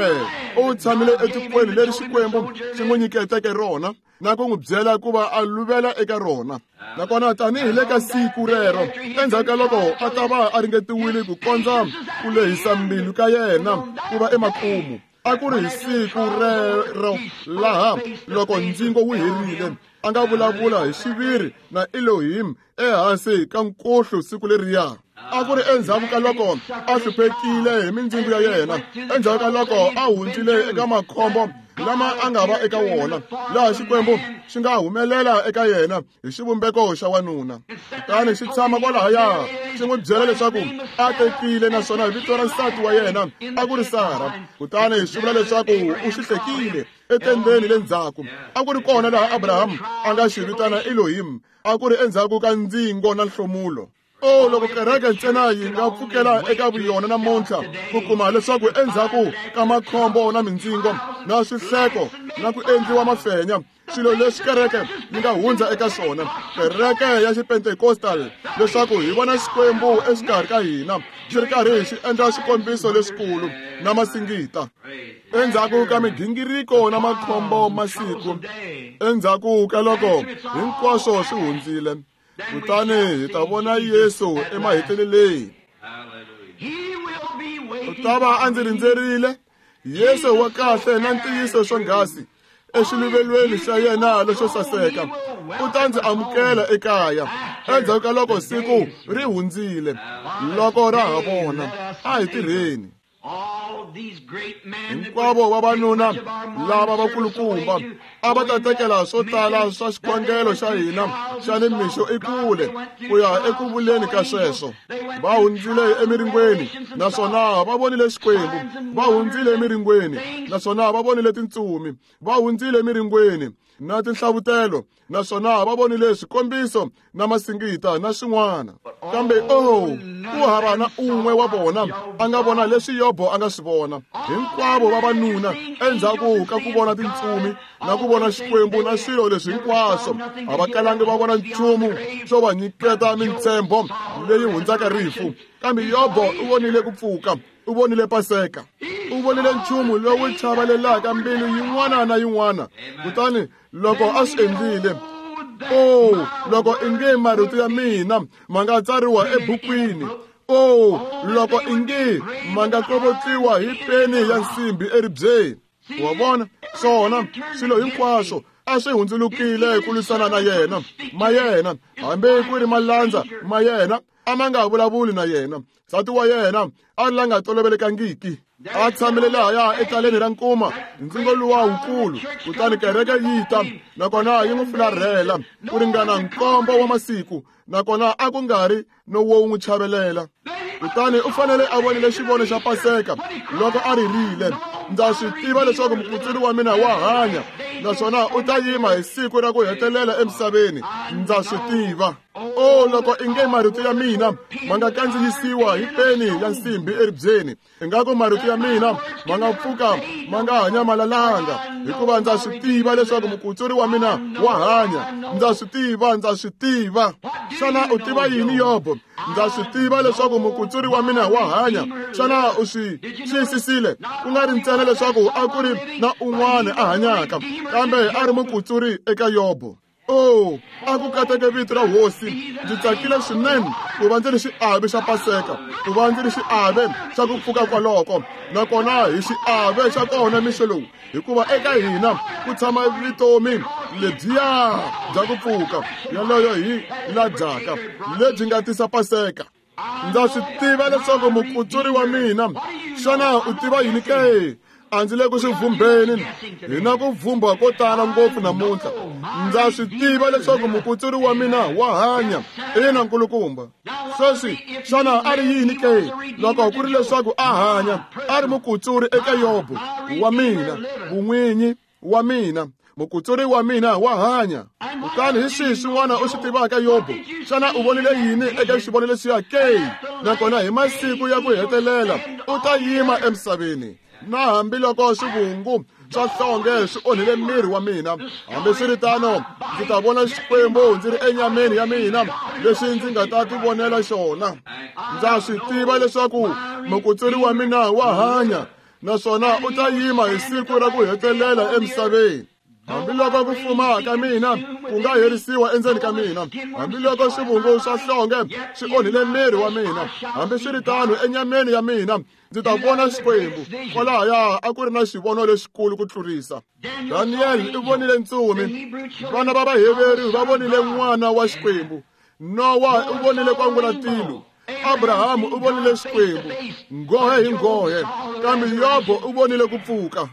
u tshamile etikweni leri Xikwembu xi n'wi nyiketeke rona na ku n'wi byela ku va a luvela eka rona. Nakona tanihi le ka siku rero, endzhaku ka loko a ta va a ringetiwile ku kondza ku lehisa mbilu ka yena ku va emakumu, a ku ri hi siku rero laha loko ndzingo wu herile, a nga vulavula hi xiviri na Elohim ehansi ka nkuhlu siku leriya. A ku ri endzhaku ka loko a hluphekile hi mindzingo ya yena, endzhaku ka loko a hundzile eka makhombo lama a nga va eka wona, laha Xikwembu xi nga humelela eka yena hi xivumbeko xa wanuna, kutani xi tshama kwalahaya xi n'wi byela leswaku a tekile, naswona vito ra nsati wa yena a ku ri Sara, kutani xi vula leswaku u xi hlekile etendeni le ndzhaku. A ku ri kona laha Abrahamu a nga xi vitana Elohim. A ku ri endzhaku ka ndzingo na nhlomulo. O loko kereke ntsena yi nga pfukela eka vuyona namuntlha ku kuma leswaku endzhaku ka makhombo na mindzingo na swihleko na ku endliwa mafenya, swilo leswi kereke yi nga hundza eka swona, kereke ya xipentekostal, leswaku hi vona Xikwembu exikarhi ka hina xi ri karhi xi endla swikombiso leswikulu na masingita. Endzhaku ka migingiriko na makhombo masiku, endzhaku ka loko hinkwaswo swi hundzile, kutani hi ta vona Yesu emaheteleleni. U ta va a ndzi rindzerile, Yesu wa kahle na ntiyiso swonghasi exiluvelweni xa yena lexo saseka, u ta ndzi amukela ekaya endzhaku ka loko siku ri hundzile. Loko ra ha vona, a hi tirheni. Hinkwavo vavanuna lava vakulukumba a va ta tekela swo tala swa xikhongelo xa hina xa nimixo ekule ku ya eku vuleni ka sweswo. Va hundzile emiringweni naswona va vonile Xikwembu, va hundzile emiringweni naswona va vonile tintsumi, va hundzile emiringweni na tinhlavutelo naswona va vonile swikombiso na masingita na swin'wana. Kambe oh, ku hava na un'we wa vona a nga vona leswi Yobo a nga swi vona. Hinkwavo vavanuna endzhaku ka ku vona tintsumi na ku vona Xikwembu na swilo leswi hinkwaswo, a va kalangi va vona nchumu xo va nyiketa mintshembo leyi hundzaka rifu. Kambe Yobo u vonile ku pfuka, u vonile Paseka, u vonile nchumu lowu chavelelaka mbilu yin'wana na yin'wana. Kutani loko a swi endlile, o loko inge marito ya mina ma nga tsariwa ebukwini, o loko inge ma nga kovotliwa hi peni ya nsimbi eribyeni. Wa vona, swona swilo hinkwaswo a swi hundzulukile ku lwisana na yena, ma yena, hambi ku ri malandza ma yena a ma nga vulavuli na yena. Nsati wa yena a ri la nga tolovelekangiki, a tshamile lahaya etaleni ra nkuma, ndzingo luwa wukulu. Kutani kereke yi ta, nakona yi n'wi fularhela ku ringana nkombo wa masiku, nakona a ku nga ri no wo n'wi chavelela. Kutani u fanele a vonile xivono xa Paseka loko a ririle, ndza swi tiva leswaku mukutsuri wa mina wa hanya, naswona u ta yima hi siku ra ku hetelela emisaveni. Ndza swi tiva. O loko inge marito ya mina ma nga kandziyisiwa hi peni ya nsimbi eribyeni, ingaku marito ya mina ma nga pfuka ma nga ha nyamalalanga, hikuva ndza swi tiva leswaku mukutsuri wa mina wa hanya. Ndza swi tiva, ndza swi tiva. Xana u tiva yini, Yobo? Ndza swi tiva leswaku mukutsuri wa mina wa hanya. Xana u swi xiyisisile? Ku nga ri ntsena leswaku a ku ri na un'wana a hanyaka, kambe a ri mukutsuri eka Yobo. O, a ku kateke vito ra hosi. Ndzi tsakile swinene ku va ndzi ri xiave xa Paseka, ku va ndzi ri xiave xa ku pfuka kwaloko. Nakona hi xiave xa kona mixo lowu, hikuva eka hina ku tshama vutomi lebyiya bya ku pfuka, yaloyo hi la dyaka lebyi nga tisa Paseka. Ndza swi tiva leswaku mukutsuri wa mina. Xana u tiva yini ke? A ndzi le ku swi vhumbeni. Hi na ku vhumbha ko tala ngopfu namuntlha. Ndza swi tiva leswaku mukutsuri wa mina wa hanya. Ina, nkulukumba. Sweswi, xana a ri yini ke? Loko ku ri leswaku a hanya, a ri mukutsuri eka Yobo wa mina, vun'winyi wa mina, mukutsuri wa mina wa hanya. Kutani hi swihi swin'wana u swi tivaka, Yobo? Xana u vonile yini eka xivono lexiya ke? Nakona hi masiku ya ku hetelela u ta yima emisaveni. Na hambiloko swivungu swa nhlonge swi onhile miri wa mina, hambiswiritano ndzi ta vona Xikwembu ndzi ri enyameni ya mina, leswi ndzi nga ta tivonela xona. Ndza swi tiva leswaku mukutsuri wa mina wa hanya, naswona u ta yima hi siku ra ku hetelela emisaveni. Hambiloko ku fuma ka mina ku nga herisiwa endzeni ka mina, hambiloko swivungu swa nhlonge swi onhile miri wa mina, hambiswiritano enyameni ya mina ndzi ta vona Xikwembu. Kwalahaya a ku ri na xivono lexikulu ku tlurisa. Daniel u vonile ntsumi, vana va Vaheveru va vonile n'wana wa Xikwembu, Nowa u vonile kwangulatilo, Abrahamu u vonile Xikwembu nghohe hi nghohe, kambe Yobo u vonile ku pfuka.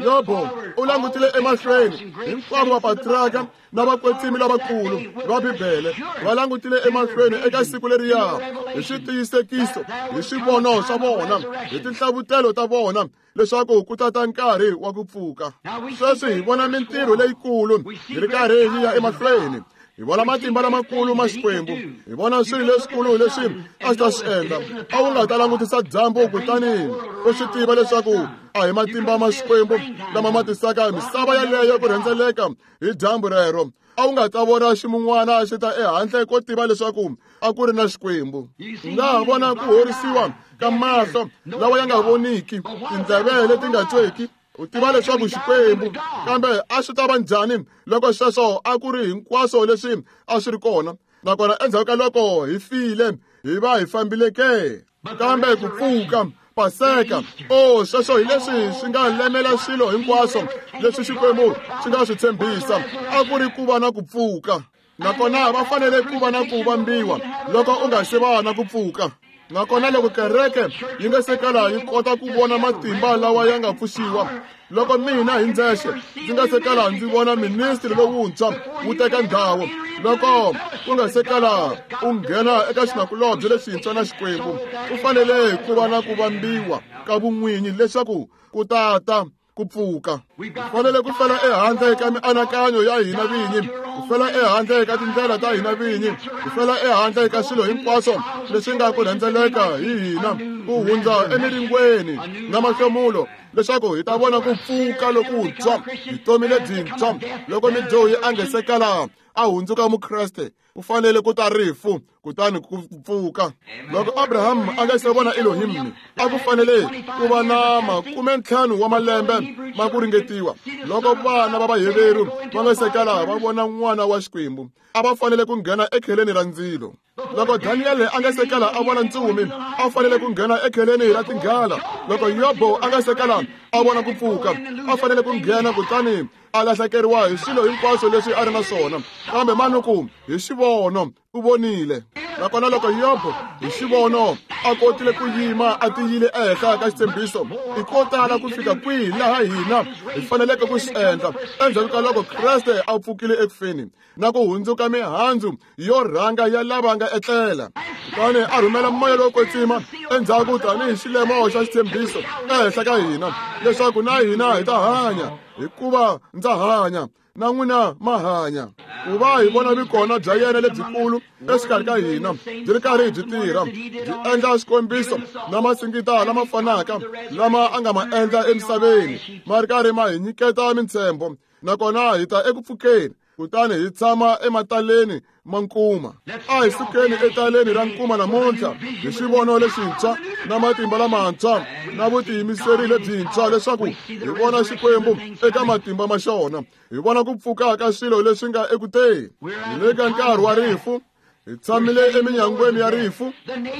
Yobo u langutile emahlweni. Hinkwavo vapatriarka na vakwetsimi lavakulu va Bibele va langutile emahlweni eka siku leriya hi switiyisekiso, hi swivono swa vona, hi tinhlavutelo ta vona, leswaku ku ta ta nkarhi wa ku pfuka. Sweswi hi vona mintirho leyikulu yi ri karhi yi ya emahlweni. Hi vona matimba lamakulu ma Xikwembu, hi vona swilo leswikulu leswi a swi ta swi endla. A wu nga ta langutisa dyambu kutani u swi tiva leswaku a hi matimba ma Xikwembu lama ma tisaka misava yaleyo ku rhendzeleka hi dyambu rero. A wu nga ta vona ximun'wana xi ta ehandle ko tiva leswaku a ku ri na Xikwembu. U nga ha vona ku horisiwa ka mahlo lawa ya nga voniki, tindleve leti nga tweki, u tiva leswaku Xikwembu. Kambe a swi ta va njhani loko sweswo a ku ri hinkwaswo leswi a swi ri kona, nakona endzhaku ka loko hi file hi va hi fambile ke? Kambe ku pfuka, Paseka, o sweswo hi leswi swi nga lemela swilo hinkwaswo leswi Xikwembu xi nga swi tshembisa, a ku ri ku va na ku pfuka. Nakona va fanele ku va na ku vambiwa loko u nga se va na ku pfuka. Nakona loko kereke yi nga se kala yi kota ku vona matimba lawa ya nga pfuxiwa, loko mina hi ndzexe ndzi nga se kala ndzi vona ministri lowuntshwa wu teka ndhawu, loko ku nga se kala u nghena eka xinakulobye lexintshwa na Xikwembu, ku fanele ku va na ku vambiwa ka vun'winyi leswaku ku ta ta ku pfuka. Hi fanele ku fela ehandle ka mianakanyo ya hina vinyi, ku fela ehandle ka tindlela ta hina vinyi, ku fela ehandle ka swilo hinkwaswo leswi nga ku rhendzeleka hi hina, ku hundza emiringweni na mahlomulo, leswaku hi ta vona ku pfuka lokuntshwa, vutomi lebyintshwa. Loko midyohi a nge se kala a hundzuka Mukreste, ku fanele ku ta rifu kutani ku pfuka. Loko Abraham a nga se vona Elohim, a ku fanele ku va na 50 wa malembe ma ku ringetiwa. Loko vana va Vaheveru va nga se kala va vona n'wana wa Xikwembu, a va fanele ku nghena ekheleni ra ndzilo. Loko Daniel a nga se kala a vona ntsumi, a fanele ku nghena ekheleni ra tinghala. Loko Yobo a nga se kala a vona ku pfuka, a fanele ku nghena kutani a lahlekeriwa hi swilo hinkwaswo leswi a ri na swona. Kambe manuku hi xivono u vonile. Nakona loko Yobo hi xivono a kotile ku yima a tiyile ehenhla ka xitshembiso, i ko tala ku fika kwihi laha hina hi faneleke ku swi endla endzhaku ka loko Kreste a pfukile ekufeni na ku hundzuka mihandzu yo rhanga ya lava nga etlela. Kutani a rhumela moya lowo kwetsima endzhaku tanihi xilemo xa xitshembiso ehenhla ka hina, leswaku na hina hi ta hanya, hikuva ndza hanya na n'wina ma hanya. Ku va hi vona vikona bya yena lebyikulu exikarhi ka hina byi ri karhi byi tirha, byi endla swikombiso na masingita lama fanaka lama a nga ma endla emisaveni, ma ri karhi ma hi nyiketa mintshembo, nakona hi ta eku pfukeni. Kutani hi tshama emataleni ma nkuma. A hi sukeni etaleni ra nkuma namuntlha hi xivono lexintshwa na matimba lamantshwa na vutiyimiseri lebyintshwa leswaku hi vona Xikwembu eka matimba ma xona. Hi vona ku pfuka ka swilo leswi nga ekuteni. Hi le ka nkarhi wa rifu. Hi tshamile eminyangweni ya rifu.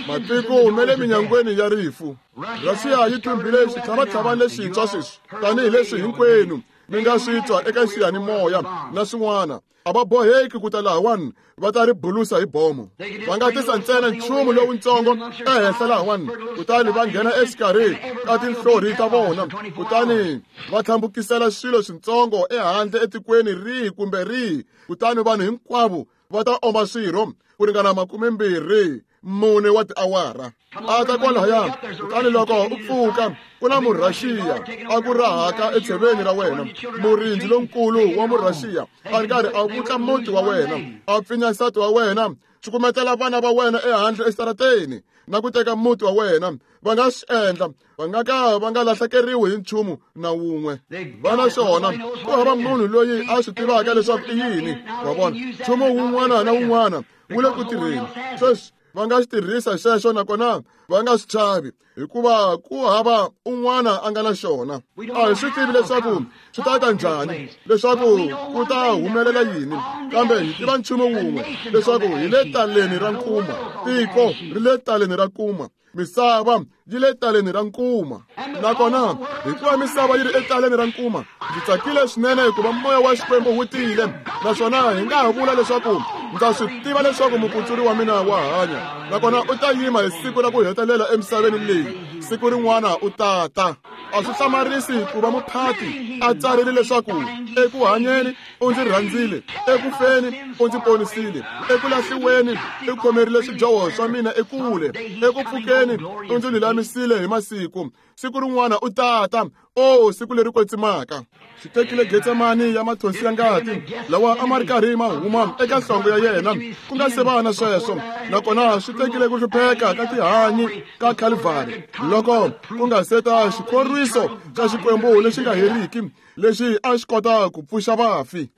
Matiko ma le minyangweni ya rifu. Rhaxiya yi thumbile xitlhavatlhavani lexintshwa sweswi, tanihileswi hinkwenu mi nga swi twa eka xiyanimoya na swin'wana. A va boheki ku ta lahawani va ta ri bulusa hi bomo. Va nga tisa ntsena nchumu lowuntsongo ehenhla lahawani, kutani va nghena exikarhi ka tinhlori ta vona, kutani va tlhambukisela swilo swintsongo ehandle etikweni rihi kumbe rihi, kutani vanhu hinkwavo va ta oma swirho ku ringana 24 wa tiawara. A ta kwalahaya, kutani loko u pfuka ku na Murhaxiya a ku rahaka etsheveni ra wena, murindzi lonkulu wa Murhaxiya a ri karhi a vutla muti wa wena, a pfinya nsati wa wena, cukumetela vana va wena ehandle exitarateni na ku teka muti wa wena. Va nga swi endla, va nga ka va nga lahlekeriwi hi nchumu na wun'we. Va na xona, ku hava munhu loyi a swi tivaka leswaku i yini. Wa vona, nchumu wun'wana na wun'wana wu le ku tirheni sweswi. Va nga xi tirhisa xexo nakona va nga swi chavi, hikuva ku hava un'wana a nga na xona. A hi swi tivi leswaku swi ta ta njhani, leswaku ku ta humelela yini, kambe hi tiva nchumu wun'we, leswaku hi le taleni ra nkuma. Tiko ri le taleni ra nkuma. Misava yi le taleni ra nkuma. Nakona hikuva misava yi ri etaleni ra nkuma, ndzi tsakile swinene hikuva moya wa Xikwembu wu tile, naswona hi nga ha vula leswaku ndza swi tiva leswaku mukutsuri wa mina wa hanya, nakona u ta yima hi siku ra ku hetelela emisaveni leyi. Siku rin'wana u ta ta. A swi hlamarisi ku va muphati a tsarile leswaku eku hanyeni u ndzi rhandzile, eku feni u ndzi ponisile, eku lahliweni u khomerile swidyoho swa mina ekule, eku pfukeni u ndzi lulamisile hi masiku. Siku rin'wana u ta ta. O, siku leri kwetsimaka! Xi tekile Getsemani ya mathonsi ya ngati lawa a ma ri karhi ma huma eka nhlonge ya yena ku nga se va na sweswo, nakona swi tekile ku hlupheka ka tihanyi ka Calvary loko ku nga se ta xikhorwiso xa Xikwembu lexi nga heriki lexi a xi kota ku pfuxa vafi.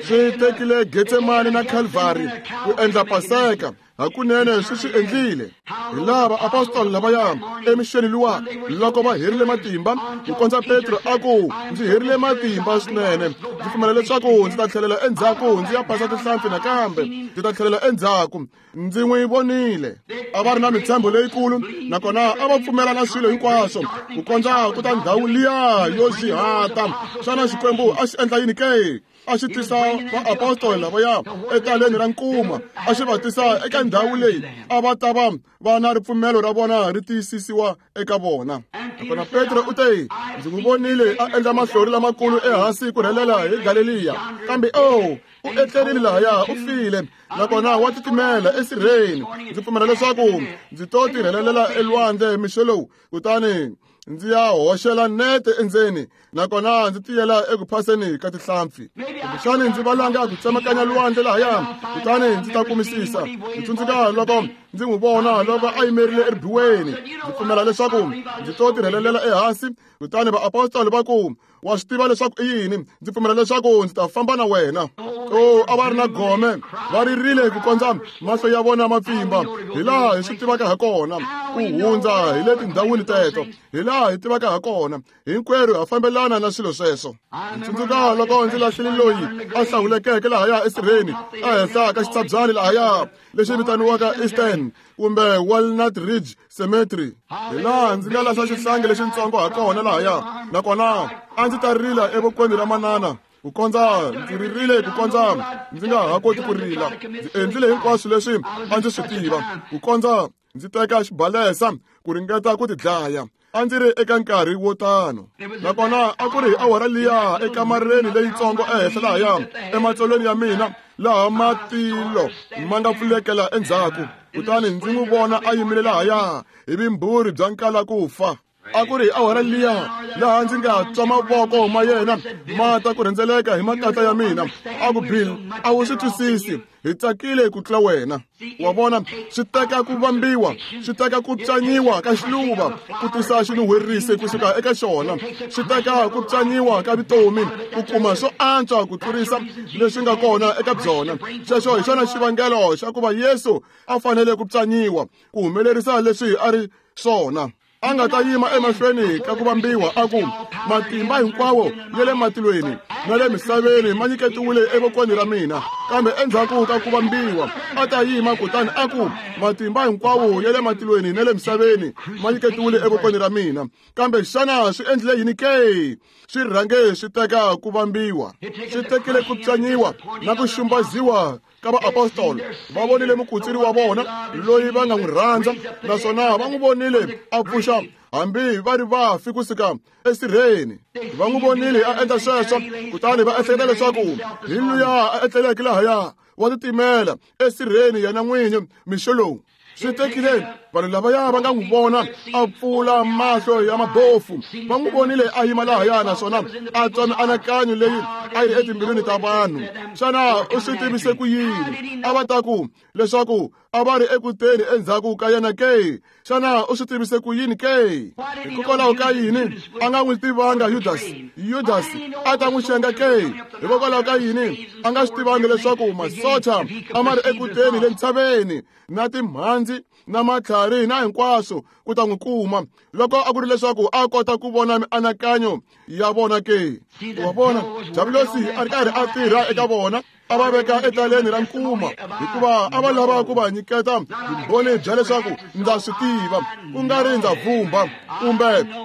Swi tekile Getsemani na Calvary ku endla Paseka. Hakunene swi swi endlile. Hi lava apostoli lavaya emixeni luwa loko va herile matimba, ku kondza Petro a ku, ndzi herile matimba swinene, ndzi pfumela leswaku ndzi ta tlhelela endzhaku ndzi ya phasa tinhlampfi nakambe, ndzi ta tlhelela endzhaku. Ndzi n'wi vonile. A va ri na mintshembo leyikulu, nakona a va pfumela na swilo hinkwaswo ku kondza ku ta ndhawu liya yo xihata. Xana Xikwembu a xi endla yini ke? A xi tisa vaapostoli lavaya etaleni ra nkuma, a xi va tisa eka ndhawu leyi a va ta va va na ripfumelo ra vona ri tiyisisiwa eka vona. Nakona Petro u te, ndzi n'wi vonile a endla mahlori lamakulu ehansi ku rhelela hi Galeliya, kambe o u etlerile lahaya, u file, nakona wa titimela esirheni. Ndzi pfumela leswaku ndzi to tirhelelela elwandle mixo lowu, kutani ndzi ya hoxela nete endzeni, nakona ndzi tiyela eku phaseni ka tinhlampfi. Kumbexani ndzi valanga ku tsemakanya lwandle lahaya, kutani ndzi ta kumisisa. Ndzi tsundzuka loko ndzi n'wi vona loko a yimerile eribuweni. Ndzi pfumela leswaku ndzi to tirhelelela ehansi, kutani vaapostoli va ku, wa swi tiva leswaku i yini? Ndzi pfumela leswaku ndzi ta famba na wena. O, a va ri na gome, va ririle ku kondza mahlo ya vona ma pfimba, hi laha hi swi tivaka ha kona ku hundza hi le tindhawini teto, hi laha hi tivaka ha kona. Hinkwerhu ha fambelana na swilo sweswo. Ndzi tsundzuka loko ndzi lahlile loyi a hlawulekeke lahaya esirheni ehenhla ka xitshabyani lahaya lexi vitaniwaka Eastern kumbe Walnut Ridge Cemetery, hi laha ndzi nga lahla xihlangi lexintsongo ha kona lahaya, nakona a ndzi ta rila evokweni ra manana ku kondza ndzi ririle ku kondza ndzi nga ha koti ku rila. Ndzi endlile hinkwaswo leswi a ndzi swi tiva ku kondza ndzi teka xibalesa ku ringeta ku tidlaya. A ndzi ri eka nkarhi wo tano, nakona a ku ri hi awara liya ekamareni leyitsongo ehenhla lahaya ematsolweni ya mina, laha matilo ma nga pfulekela endzhaku, kutani ndzi n'wi vona a yimile lahaya hi vimbhuri bya nkala ku fa. A ku ri awara liya laha ndzi nga twa mavoko ma yena ma ta ku rhendzeleka hi makatla ya mina. A ku, Bill, a wu swi twisisi, hi tsakile ku tlula wena. Wa vona, swi teka ku vambiwa, swi teka ku pyanyiwa ka xiluva ku tisa xinuhwerisi kusuka eka xona, swi teka ku pyanyiwa ka vutomi ku kuma swo antswa ku tlurisa leswi nga kona eka byona. Sweswo hi xona xivangelo xa ku va Yesu a fanele ku pyanyiwa ku humelerisa leswi a ri swona. A nga ta yima emahlweni ka ku vambiwa a ku, matimba hinkwawo ya le matilweni na le misaveni ma nyiketiwile evokweni ra mina. Kambe endzhaku ka ku vambiwa a ta yima kutani a ku, matimba hinkwawo ya le matilweni na le misaveni ma nyiketiwile evokweni ra mina. Kambe xana swi endlile yini ke? Swi rhange swi teka ku vambiwa, swi tekile ku pyanyiwa na ku xumbaziwa ka vaapostolo. Va vonile mukutsuri wa vona loyi va nga n'wi rhandza, naswona va n'wi vonile a pfuxa hambi va ri vafi kusuka esirheni. Va n'wi vonile a endla sweswo, kutani va ehleketa leswaku hi luya a etleleke lahaya wa titimela esirheni yena n'winyi mixo lowu. Swi tekile vanhu lavaya va nga n'wi vona a pfula mahlo ya mabofu, va n'wi vonile a yima lahaya naswona a twa mianakanyo leyi a yi ri etimbilwini ta vanhu. Xana u swi tivise ku yini? A va ta ku leswaku a va ri eku teni endzhaku ka yena ke? Xana u swi tivise ku yini ke? Hikokwalaho ka yini a nga n'wi tivanga Yudasi? Yudasi a ta n'wi xenga ke? Hikokwalaho ka yini a nga swi tivangi leswaku masocha a ma ri eku teni le ntshaveni na timhandzi na matlhari na hinkwaswo ku ta n'wi kuma, loko a ku ri leswaku a kota ku vona mianakanyo ya vona ke? Wa vona, Diabulosi a ri karhi a tirha eka vona, a va veka etaleni ra nkuma, hikuva a va lava ku va nyiketa vumbhoni bya leswaku ndza swi tiva, ku nga ri ndza vhumba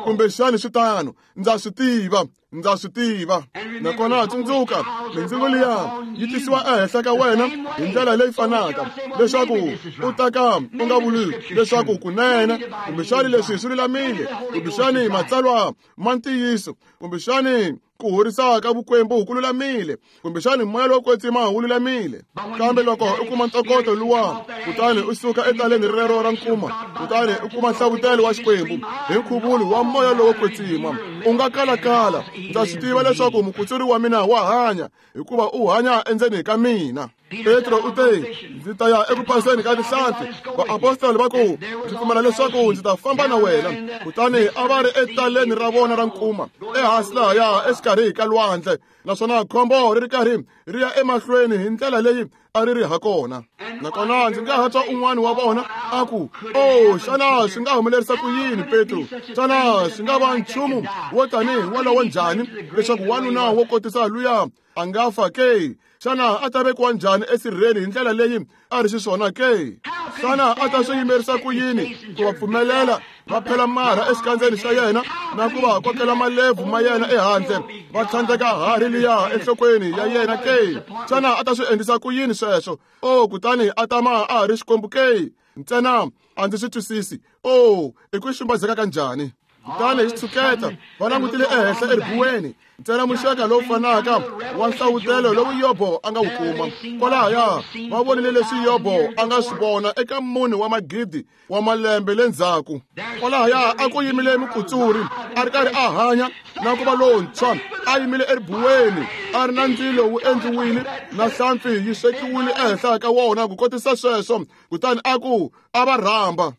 kumbexani swi tano, ndza swi tiva, ndza swi tiva. Nakona tsundzuka, mindzingo liya yi tisiwa ehenhla ka wena hi ndlela leyi fanaka, leswaku u ta ka u nga vuli leswaku kunene kumbexani leswi swi lulamile, kumbexani matsalwa ma ntiyiso, kumbexani ku horisa ka vukwembu ku lulamile, kumbexani moya lowo kwetsima wu lulamile. Kambe loko u kuma ntokoto luwa, kutani u suka etaleni rero ra nkuma, kutani u kuma nhlavutelo wa Xikwembu hi nkhuvulo wa moya lowo kwetsima, u nga kalakala, ndza swi tiva leswaku mukutsuri wa mina wa hanya, hikuva u hanya endzeni ka mina. Petro u te, ndzi ta ya eku phaseni ka tinhlampfi. Vaapostoli va ku, ndzi pfumela leswaku ndzi ta famba na wena. Kutani a va ri etaleni ra vona ra nkuma, ehansi lahaya exikarhi ka lwandle, naswona khombo ri ri karhi ri ya emahlweni hi ndlela leyi a ri ri ha kona. Nakona ndzi nga ha twa un'wana wa vona a ku, oh, xana swi nga humelerisa ku yini, Petro? Xana swi nga va nchumu wo tanihi wolowo njhani leswaku wanuna wo kotisa luya a nga fa ke? Xana a ta vekiwa njhani esirheni hi ndlela leyi a ri xiswona ke? Xana a ta swi yimerisa ku yini ku va pfumelela va phela marha exikandzeni xa yena na ku va kokela malebvu ma yena ehandle, va tlhandleka harhi liya enhlokweni ya yena ke? Xana a ta swi endlisa ku yini sweswo? Oh, kutani a tama a ha ri Xikwembu ke? Ntsena a ndzi swi twisisi. Oh, i ku xumbazeka ka njhani? Kutani hi xitshuketa va langutile ehenhla eribuweni, ntsena muxaka lowu fanaka wa nhlavutelo lowu Yobo a nga wu kuma. Kwalahaya va vonile leswi Yobo a nga swi vona eka munhu wa magidi wa malembe le ndzhaku. Kwalahaya a ku yimile mukutsuri a ri karhi a hanya na ku va lontshwa, a yimile eribuweni, a ri na ndzilo wu endliwile na hlampfi yi swekiwile ehenhla ka wona ku kotisa sweswo. Kutani a ku, a va rhamba.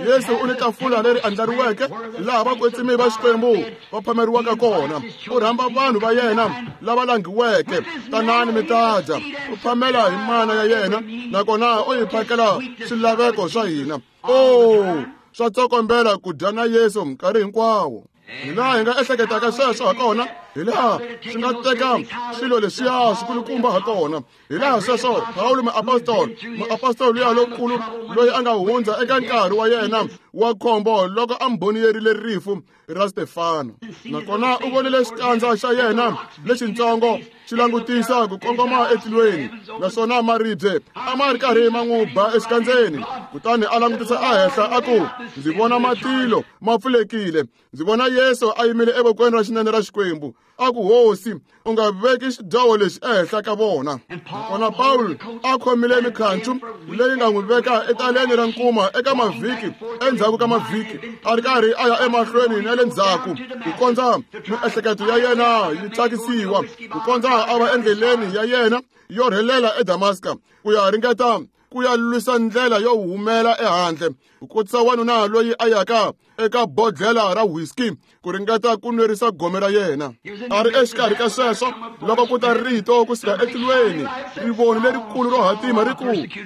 Yesu u ni tafula leri andlariweke laha vakwetsimi va Xikwembu va phameriwaka kona. U rhamba vanhu va yena lava langhiweke, tanani mi ta dya. U phamela hi mana ya yena, nakona u hi phakela swilaveko swa hina. Oh, swa tsokombela ku dya na Yesu nkarhi hinkwawo. Hi laha hi nga ehleketaka sweswo ha kona, hi laha swi nga teka swilo leswiya swikulukumba ha kona. Hi laha sweswo Pawulo muapostolo luya lonkulu loyi a nga hundza eka nkarhi wa yena wa khombo loko a mbhoniyerile rifu ra Stefano, nakona u vonile xikandza xa yena lexintsongo xi langutisa ku kongoma etilweni, naswona maribye a ma ri karhi ma n'wi ba exikandzeni. Kutani a langutisa ehenhla a ku, ndzi vona matilo ma pfulekile, ndzi vona Yesu a yimile evokweni ra xinene ra Xikwembu. A ku, Hosi, u nga veki xidyoho lexi ehenhla ka vona. Nakona Pawulo a khomile mikhancu leyi nga n'wi veka etaleni ra nkuma eka mavhiki endzhaku ka mavhiki, a ri karhi a ya emahlweni na le ndzhaku ku kondza miehleketo ya yena yi thyakisiwa, ku kondza a va endleleni ya yena yo rhelela eDamaska ku ya ringeta ku ya lwisa ndlela yo humela ehandle, ku kotisa wanuna loyi a yaka eka bodlhela ra whisky ku ringeta ku nwerisa gome ra yena. A ri exikarhi ka sweswo loko ku ta rito kusuka etilweni, rivoni lerikulu ro hatima ri ku,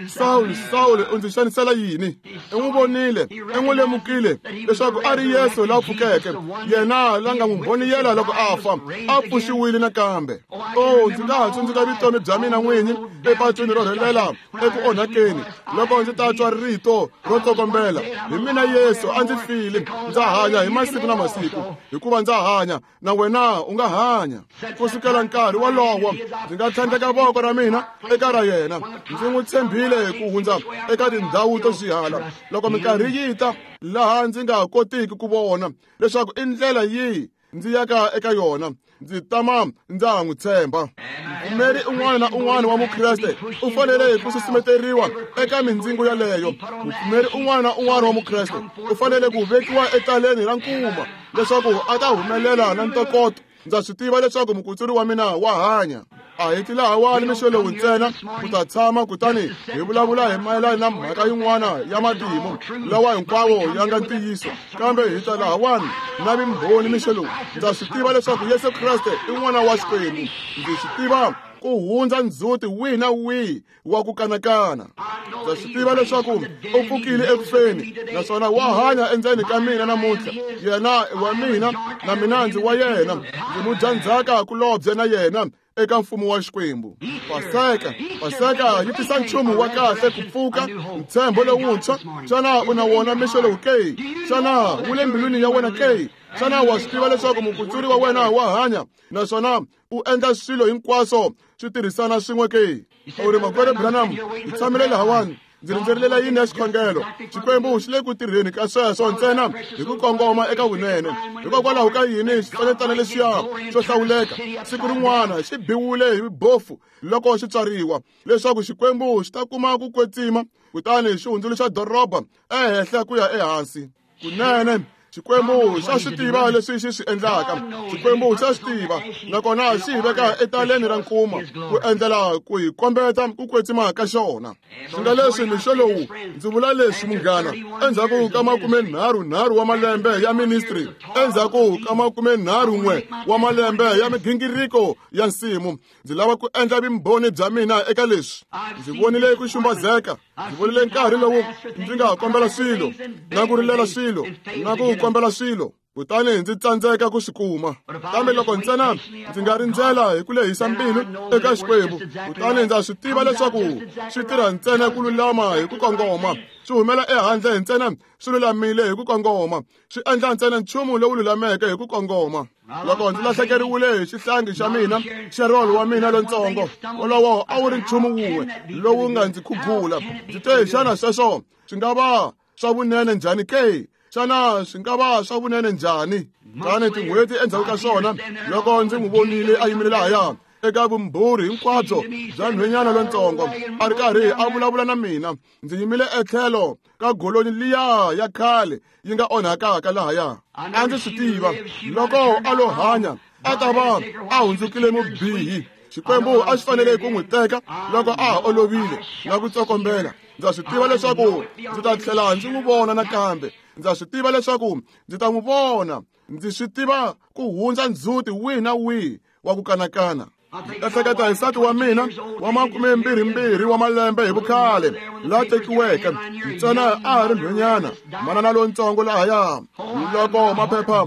Sawuli, Sawuli, u ndzi xanisela yini? I n'wi vonile, i n'wi lemukile leswaku a ri Yesu la pfukeke, yena la nga n'wi mbhoniyela loko a fa, a pfuxiwile nakambe. O, ndzi nga ha tsundzuka vutomi bya mina n'winyi epatwini ro rhelela eku onhakeni loko ndzi ta twa rito ro tsokombela, hi mina Yesu, a ndzi file, ndza hanya hi masiku na masiku, hikuva ndza hanya na wena u nga hanya. Ku sukela nkarhi wolowo ndzi nga tlhandleka voko ra mina eka ra yena, ndzi n'wi tshembile ku hundza eka tindhawu to swihala. Loko minkarhi yi ta laha ndzi nga kotiki ku vona leswaku i ndlela yihi ndzi yaka eka yona, ndzi tama ndza ha n'wi tshemba. Mupfumeri un'wana na un'wana wa Mukreste u fanele ku susumeteriwa eka mindzingo yaleyo. Mupfumeri un'wana na un'wana wa Mukreste u fanele ku vekiwa etaleni ra nkuma leswaku a ta humelela na ntokoto. Ndza swi tiva leswaku mukutsuri wa mina wa hanya. A hi ti lahawani mixo lowu ntsena ku ta tshama kutani hi vulavula hi mayelana na mhaka yin'wana ya matimu lawa hinkwawo ya nga ntiyiso, kambe hi ta lahawani na vimbhoni mixo lowu. Ndza swi tiva leswaku Yesu Kreste i N'wana wa Xikwembu. Ndzi swi tiva ku hundza ndzhuti wihi na wihi wa ku kanakana. Ndza swi tiva leswaku u pfukile eku feni naswona wa hanya endzeni ka mina namuntlha. Yena i wa mina na mina ndzi wa yena, ndzi mudyandzhaka kulobye na yena eka mfumo wa Xikwembu. Paseka, Paseka yi tisa nchumu wa kahle, ku pfuka, ntshembo lowuntshwa. Xana u na wona mixo lowu ke? Xana wu le mbilwini ya wena ke? Xana wa swi tiva leswaku mukutsuri wa wena wa hanya naswona u endla swilo hinkwaswo swi tirhisana swin'we ke? U ri, Makwerhu Branham, hi tshamile lahawani, ndzi rindzerile layini ya xikhongelo. Xikwembu xi le ku tirheni ka sweswo ntsena hi ku kongoma eka vunene. Hikokwalaho ka yini xitsanetsana lexiya xo hlawuleka siku rin'wana xi biwile hi bofu loko xi tswariwa, leswaku Xikwembu xi ta kuma ku kwetsima kutani xi hundzuluxa doroba ehenhla ku ya ehansi. Kunene Xikwembu xa swi tiva leswi xi swi endlaka. Xikwembu xa swi tiva, nakona xi hi veka etaleni ra nkuma ku endlela ku hi kombeta ku kwetsima ka xona. Swi nga leswi mixo lowu ndzi vula leswi, munghana, endzhaku ka 33 wa malembe ya ministry, endzhaku ka 31 wa malembe ya migingiriko ya nsimu, ndzi lava ku endla vumbhoni bya mina eka leswi. Ndzi vonile ku xumbazeka, ndzi vonile nkarhi lowu ndzi nga kombela swilo na ku rilela swilo na ku kombela swilo, kutani ndzi tsandzeka ku swi kuma. Kambe loko ntsena ndzi nga rindzela hi ku lehisa mbilu eka Xikwembu, kutani ndza swi tiva leswaku swi tirha ntsena ku lulama hi ku kongoma, swi humela ehandle ntsena swi lulamile hi ku kongoma, swi endla ntsena nchumu lowu lulameke hi ku kongoma. Loko ndzi lahlekeriwile hi xihlangi xa mina, Sherol wa mina lontsongo, wolowo a wu ri nchumu wun'we lowu nga ndzi khugula. Ndzi te, xana sweswo swi nga va swa vunene njhani ke? Xana swi nga va swa vunene njhani? Kutani tin'hweti endzhaku ka swona, loko ndzi n'wi vonile a yimile lahaya eka vumbhurhi hinkwabyo bya nhwenyana lontsongo, a ri karhi a vulavula na mina, ndzi yimile etlhelo ka golonyi liya ya khale yi nga onhakaka lahaya. A ndzi swi tiva loko a lo hanya a ta va a hundzukile mubihi. Xikwembu a xi fanele ku n'wi teka loko a ha olovile na ku tsokombela. Ndza swi tiva leswaku ndzi ta tlhela ndzi n'wi vona nakambe. Ndza swi tiva leswaku ndzi ta n'wi vona. Ndzi swi tiva ku hundza ndzhuti wihi na wihi wa ku kanakana. Ehleketa hi nsati wa mina wa 22 wa malembe hi vukhale la tekiweke, ntsena a ha ri nhwenyana, manana lontsongo lahaya. Loko maphepha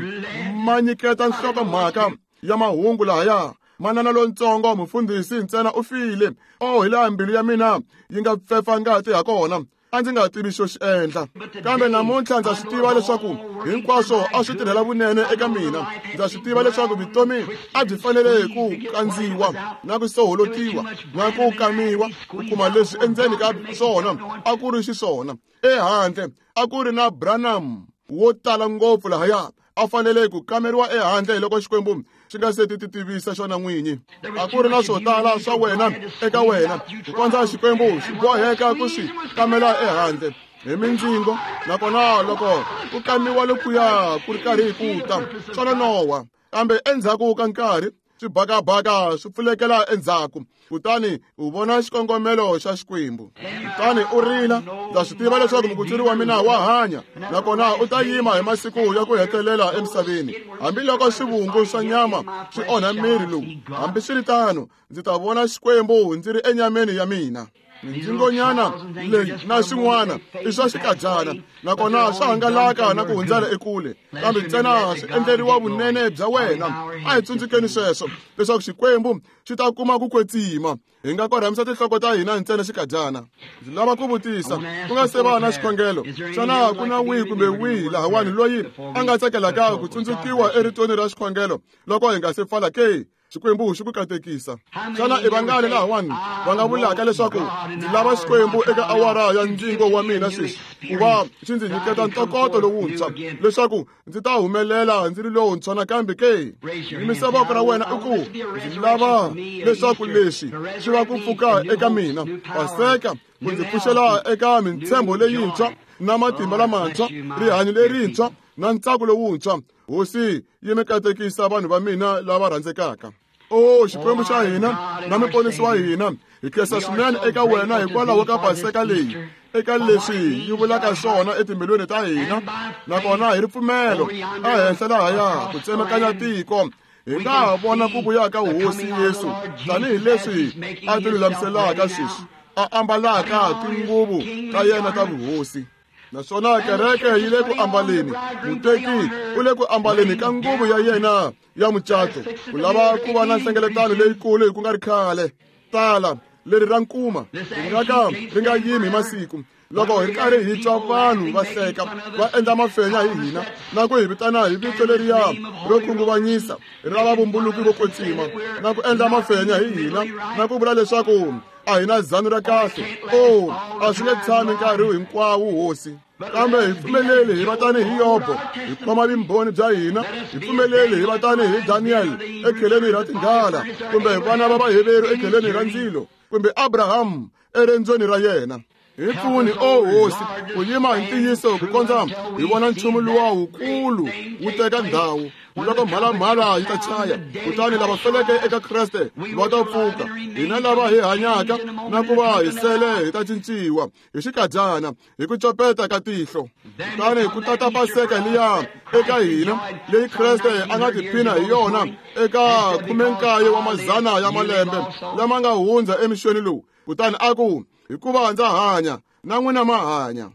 ma nyiketa nhlokomhaka ya mahungu lahaya, manana lontsongo mufundhisi ntsena u file. O, hi laha mbilu ya mina yi nga pfepfa ngati ha kona. A ndzi nga tivi xo xi endla, kambe namuntlha ndza swi tiva leswaku hinkwaswo a swi tirhela vunene eka mina. Ndza swi tiva leswaku vutomi a byi fanele ku kandziwa na ku soholotiwa na ku kamiwa ku kuma leswi endzeni ka swona a ku ri xiswona. Ehandle a ku ri na Branham wo tala ngopfu lahaya, a fanele ku kameriwa ehandle hi loko Xikwembu xi nga se ti tivisa xona n'winyi. A ku ri na swo tala swa wena eka wena ku kondza Xikwembu xi boheka ku swi kamela ehandle hi mindzingo, nakona loko ku kamiwa lokuya ku ri karhi ku ta swa nonoha, kambe endzhaku ka nkarhi swibakabaka swi pfulekela endzhaku, kutani u vona xikongomelo xa Xikwembu. Kutani u rila, ndza swi tiva leswaku mukutsuri wa mina wa hanya, nakona u ta yima hi masiku ya ku hetelela emisaveni. Hambiloko swivungu swa nyama swi onha miri lowu, hambiswiritano ndzi ta vona Xikwembu ndzi ri enyameni ya mina. Mindzingonyana leyi na swin'wana i swa xikadyana, nakona swa hangalaka na ku hundzela ekule, kambe ntsena swi endleriwa vunene bya wena. A hi tsundzukeni sweswo leswaku Xikwembu xi ta kuma ku kwetsima. Hi nga korhamisa tinhloko ta hina ntsena xikadyana. Ndzi lava ku vutisa ku nga se va na xikhongelo, xana ku na wihi kumbe wihi lahawani loyi a nga tsakelaka ku tsundzukiwa eritweni ra xikhongelo loko hi nga se pfala ke? Xikwembu xi ku katekisa. Xana i vangani lahawani va nga vulaka leswaku ndzi lava Xikwembu eka awara ya ndzingo wa mina sweswi, ku va xi ndzi nyiketa ntokoto lowuntshwa leswaku ndzi ta humelela ndzi ri lowuntshwa nakambe ke? Yimisa voko ra wena u ku, ndzi lava leswaku leswi swi va ku pfuka eka mina, Paseka ku ndzi pfuxela eka mintshembo leyintshwa na matimba lamantshwa, rihanyo lerintshwa na ntsako lowuntshwa. Hosi yi mi katekisa vanhu va mina lava rhandzekaka. O Xikwembu xa hina na muponisi wa hina, hi khensa swinene eka wena hikwalaho ka Paseka leyi, eka leswi yi vulaka swona etimbilwini ta hina, nakona hi ripfumelo ehenhla lahaya ku tsemakanya tiko hi nga ha vona ku vuya ka Hosi Yesu tanihileswi a ti lulamiselaka sweswi, a ambalaka tinguvu ta yena ta vuhosi. Naswona kereke yi le ku ambaleni, muteki u le ku ambaleni ka nguvu ya yena ya mucato, ku lava ku va na nhlengeletano leyikulu hi ku nga ri khale. Tala leri ra nkuma ri nga ka ri nga yimi hi masiku. Loko hi ri karhi hi twa vanhu va hleka, va endla mafenya hi hina na ku hi vitana hi vito leriya ro khunguvanyisa ra vavumbuluki vo kwetsima, na ku endla mafenya hi hina na ku vula leswaku a hi na zanu ra kahle. O, a swi nge tshami nkarhi hinkwawo, Hosi, kambe hi pfumeleli hi va tanihi Yobo, hi khoma vumbhoni bya hina. Hi pfumeleli hi va tanihi Daniel ekheleni ra tinghala, kumbe vana va Vaheveru ekheleni ra ndzilo, kumbe Abraham erendzweni ra yena. Hi pfuni, o Hosi, ku yima hi ntiyiso ku kondza hi vona nchumu luwa wukulu wu teka ndhawu, loko mhalamhala yi ta chaya, kutani lava feleke eka Kreste va ta pfuka. Hina lava hi hanyaka na ku va hi sele hi ta cinciwa hi xikadyana, hi ku copeta ka tihlo. Kutani ku tata Paseka liya eka hina leyi Kreste a nga tiphina hi yona eka 19 wa mazana ya malembe lama nga hundza emixweni lowu, kutani a ku, hikuva ndza hanya na n'wina ma hanya.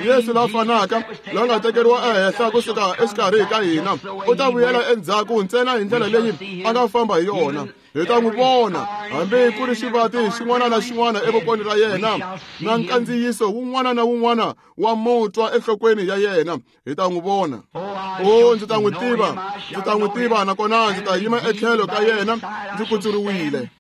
Yesu la fanaka la nga tekeriwa ehenhla kusuka exikarhi ka hina u ta vuyela endzhaku ntsena hi ndlela leyi a nga famba hi yona. Hi ta n'wi vona hambi ku ri xivati xin'wana na xin'wana evokweni ra yena na nkandziyiso wun'wana na wun'wana wa mutwa enhlokweni ya yena. Hi ta n'wi vona. O, ndzi ta n'wi tiva, ndzi ta n'wi tiva, nakona ndzi ta yima etlhelo ka yena ndzi kutsuriwile.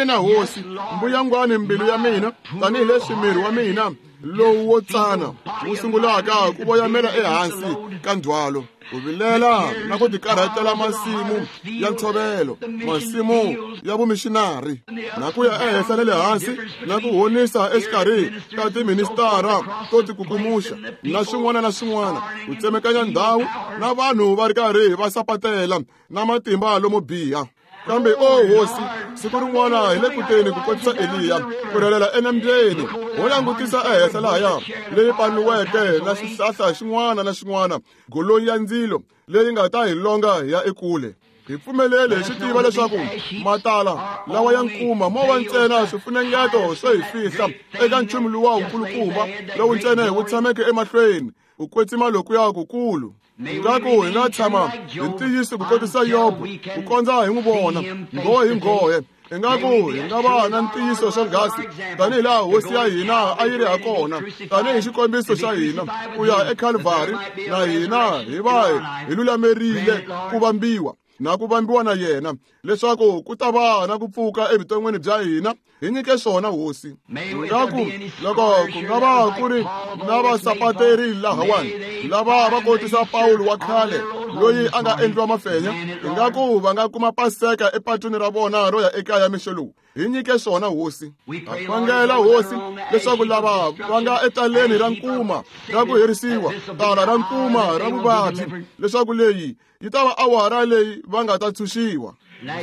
Ina Hosi, mbuyangwani mbilu ya mina, tanihileswi miri wa mina lowu wo tsana wu sungulaka ku voyamela ehansi ka ndzhwalo, ku vilela na ku tikarhatela masimu ya ntshovelo, masimu ya vumixinari, na ku ya ehenhla na le hansi na ku honisa exikarhi ka tiministara to tikukumuxa na swin'wana na swin'wana, ku tsemekanya ndhawu na vanhu va ri karhi va sapatela na matimba lomo biha. Kambe o Hosi, siku rin'wana hi le kuteni ku kotisa Eliya ku rhelela enambyeni, ho langutisa ehenhla lahaya leyi paniweke na xihlahla xin'wana na xin'wana, golonyi ya ndzilo leyi nga ta hi longa hi ya ekule. Hi pfumeleli hi swi tiva leswaku matala lawa ya nkuma mo va ntsena swifunengeto swo hi fihla eka nchumu luwa wukulukumba lowu ntsena hi wu tshameke emahlweni, ku kwetsima lokuya kukulu. Ingaku hi nga tshama hi ntiyiso ku kotisa Yobo ku kondza hi n'wi vona nghohe hi nghohe. Ingaku hi nga va na ntiyiso swonghasi tanihi laha hosi ya hina a yi ri hakona, tanihi xikombiso xa hina ku ya eKalvari, na hina hi va hi lulamerile ku vambiwa na ku vambiwa na yena, leswaku ku ta va na ku pfuka evuton'wini bya hina. Hi nyike swona hosi. Ingaku loko ku nga va ku ri na vasapateri lahawani lava va kotisa Pawulo wa khale loyi a nga endliwa mafenya, ingaku va nga kuma paseka epatwini ra vona ro ya ekaya mixo lowu. Hi nyike swona hosi. Ha khongela hosi leswaku lava va nga etaleni ra nkuma ra ku herisiwa, tala ra nkuma ra vuvabyi, leswaku leyi yi ta va awara leyi va nga ta tshunxiwa.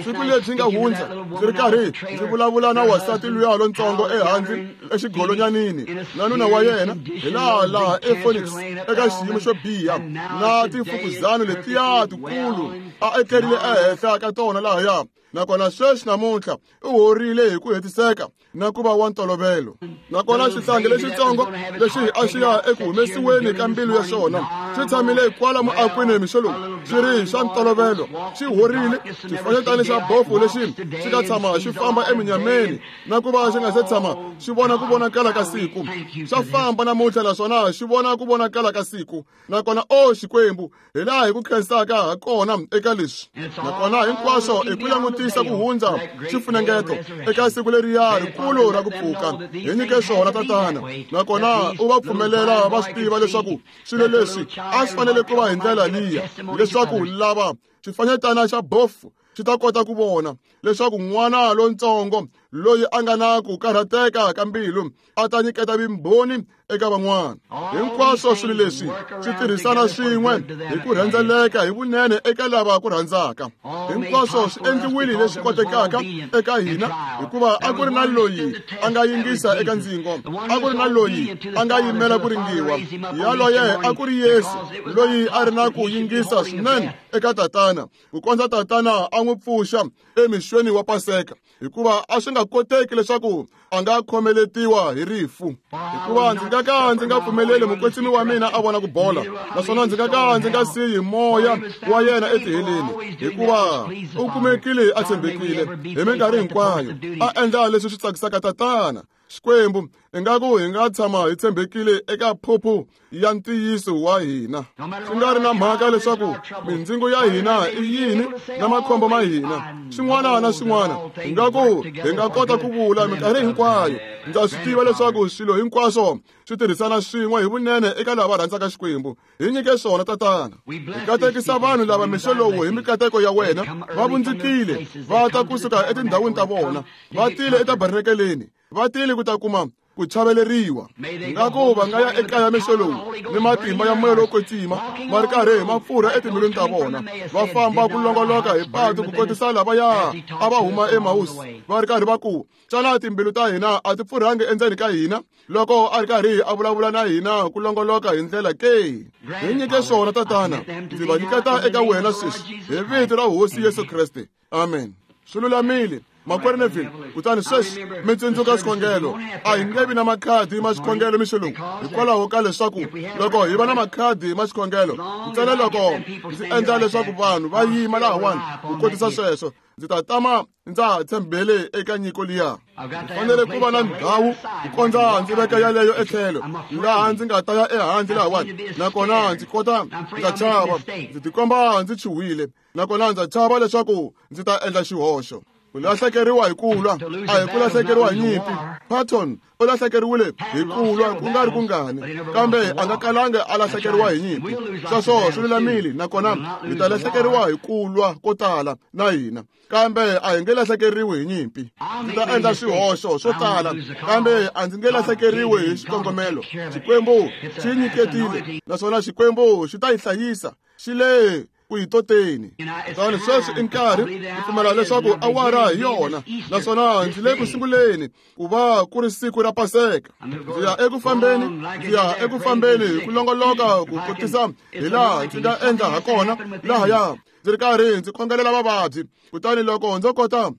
Siku lebyi nga hundza ndzi ri karhi ndzi vulavula na wansati luya lontsongo ehandle exigolonyanini na nuna wa yena hi laha ePhoenix eka xiyimo xo biha na timfukuzana letiya tikulu a etlerile ehenhla ka tona lahaya, nakona sweswi namuntlha u horile hi ku hetiseka na ku va wa ntolovelo. Nakona xihlangi lexitsongo lexi a xi ya eku humesiweni ka mbilu ya xona xi tshamile kwala muakwini mixo lowu xi ri xa ntolovelo, xi horile. Xifanyetana xa bofu lexi xi nga tshama xi famba eminyameni na ku va xi nga se tshama xi vona ku vonakala ka siku, xa famba namuntlha naswona xi vona ku vonakala ka siku. Nakona o Xikwembu, hi laha hi ku khensaka ha kona eka leswi. Nakona hinkwaswo i ku langutisa ku hundza xifunengeto eka siku leriya rikulu ra ku pfuka. Hi nyike swona tatana, nakona u va pfumelela va swi tiva leswaku swilo leswi a swi fanele ku va hi ndlela liya, leswaku lava xifanyetana xa bofu xi ta kota ku vona leswaku n'wana lontsongo loyi a nga na ku karhateka ka mbilu a ta nyiketa vumbhoni eka van'wana. Hinkwaswo swilo leswi swi tirhisana swin'we hi ku rhendzeleka hi vunene eka lava ku rhandzaka. Hinkwaswo swi endliwile leswi kotekaka eka hina, hikuva a ku ri na loyi a nga yingisa eka ndzingo, a ku ri na loyi a nga yimela ku ringiwa. Yaloye a ku ri Yesu, loyi a ri na ku yingisa swinene eka Tatana, ku kondza Tatana a n'wi pfuxa emixweni wa Paseka, hikuva a swi nga koteki leswaku a nga khomeletiwa hi rifu. Hikuva ndzi nga ka ndzi nga pfumeleli mukwetsimi wa mina a vona ku bola, naswona ndzi nga ka ndzi nga siyi moya wa yena etiheleni, hikuva u kumekile a tshembekile hi minkarhi hinkwayo, a endla leswi swi tsakisaka Tatana. Xikwembu, ingaku hi nga tshama hi tshembekile eka phuphu ya ntiyiso wa hina, swi nga ri na mhaka leswaku mindzingo ya hina i yini na makhombo ma hina, swin'wana na swin'wana. Ingaku hi nga kota ku vula minkarhi hinkwayo, ndza swi tiva leswaku swilo hinkwaswo swi tirhisana swin'we hi vunene eka lava rhandzaka Xikwembu. Hi nyike swona tatana. Hi katekisa vanhu lava mixo lowu hi mikateko ya wena. Va vundzukile va ta kusuka etindhawini ta vona, va tile etabernakeleni, va tile ku ta kuma ku chaveleriwa. Ingaku va nga ya ekaya mixo lowu ni matimba ya moya lowo kwetsima ma ri karhi hi mapfurha etimbilwini ta vona, va famba ku longoloka hi patu ku kotisa lavaya a va huma eMausi, va ri karhi va ku, xana timbilu ta hina a ti pfurhangi endzeni ka hina loko a ri karhi a vulavula na hina ku longoloka hi ndlela ke? Hi nyike swona tatana, ndzi va nyiketa eka wena sweswi hi vito ra Hosi Yesu Kreste. Amen. Swi lulamile makwerhu Neville. Kutani sweswi mi tsundzuka xikhongelo. A hi nge vi na makhadi ma xikhongelo mixo lowu, hikwalaho ka leswaku loko hi va na makhadi ma xikhongelo ntsena loko ndzi endla leswaku vanhu va yima lahawani ku kotisa sweswo, ndzi ta tama ndza tshembele eka nyiko liya. Ndzi fanele ku va na ndhawu ku kondza ndzi veka yaleyo etlhelo laha ndzi nga ta ya ehandle lahawani, nakona ndzi kota ndza chava, ndzi tikomba ndzi chuhile, nakona ndza chava leswaku ndzi ta endla xihoxo. Ku lahlekeriwa hi ku lwa a hi ku lahlekeriwa hi nyimpi. Patton u lahlekeriwile hi ku lwa ku nga ri kungani, kambe a nga kalanga a lahlekeriwa hi nyimpi. Sweswo swi lulamile, nakona hi ta lahlekeriwa hi ku lwa ko tala na hina, kambe a hi nge lahlekeriwi hi nyimpi. Ndzi ta endla swihoxo swo tala, kambe a ndzi nge lahlekeriwi hi xikongomelo. Xikwembu xi nyiketile, naswona Xikwembu xi ta yi hlayisa. Xi le ku yi toteni. Kutani sweswi i nkarhi ku pfumela leswaku awara hi yona, naswona ndzi le ku sunguleni ku va ku ri siku ra Paseka. Ndzi ya eku fambeni, ndzi ya eku fambeni hi ku longoloka ku kotisa hi laha ndzi nga endla ha kona lahaya, ndzi ri karhi ndzi khongelela vavabyi. Kutani loko ndzo kota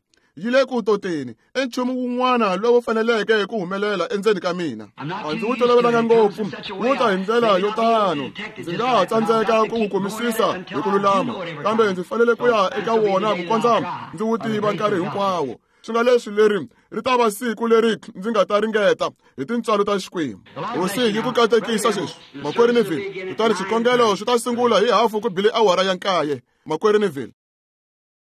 Yi le ku toteni i nchumu wun'wana lowu faneleke ku humelela endzeni ka mina. A ndzi wu tolovelanga ngopfu, wu ta hi ndlela yo tano, ndzi nga ha tsandzeka ku wu kumisisa hi ku lulama, kambe ndzi fanele ku ya eka wona ku kondza ndzi wu tiva nkarhi hinkwawo. Swi nga leswi leri ri ta va siku leri ndzi nga ta ringeta hi tintswalo ta Xikwembu. Hosi yi ku katekisa sweswi, Makwerhu Neville. Kutani xikhongelo swi ta sungula hi hafu ku bile awara ya 9, Makwerhu Neville.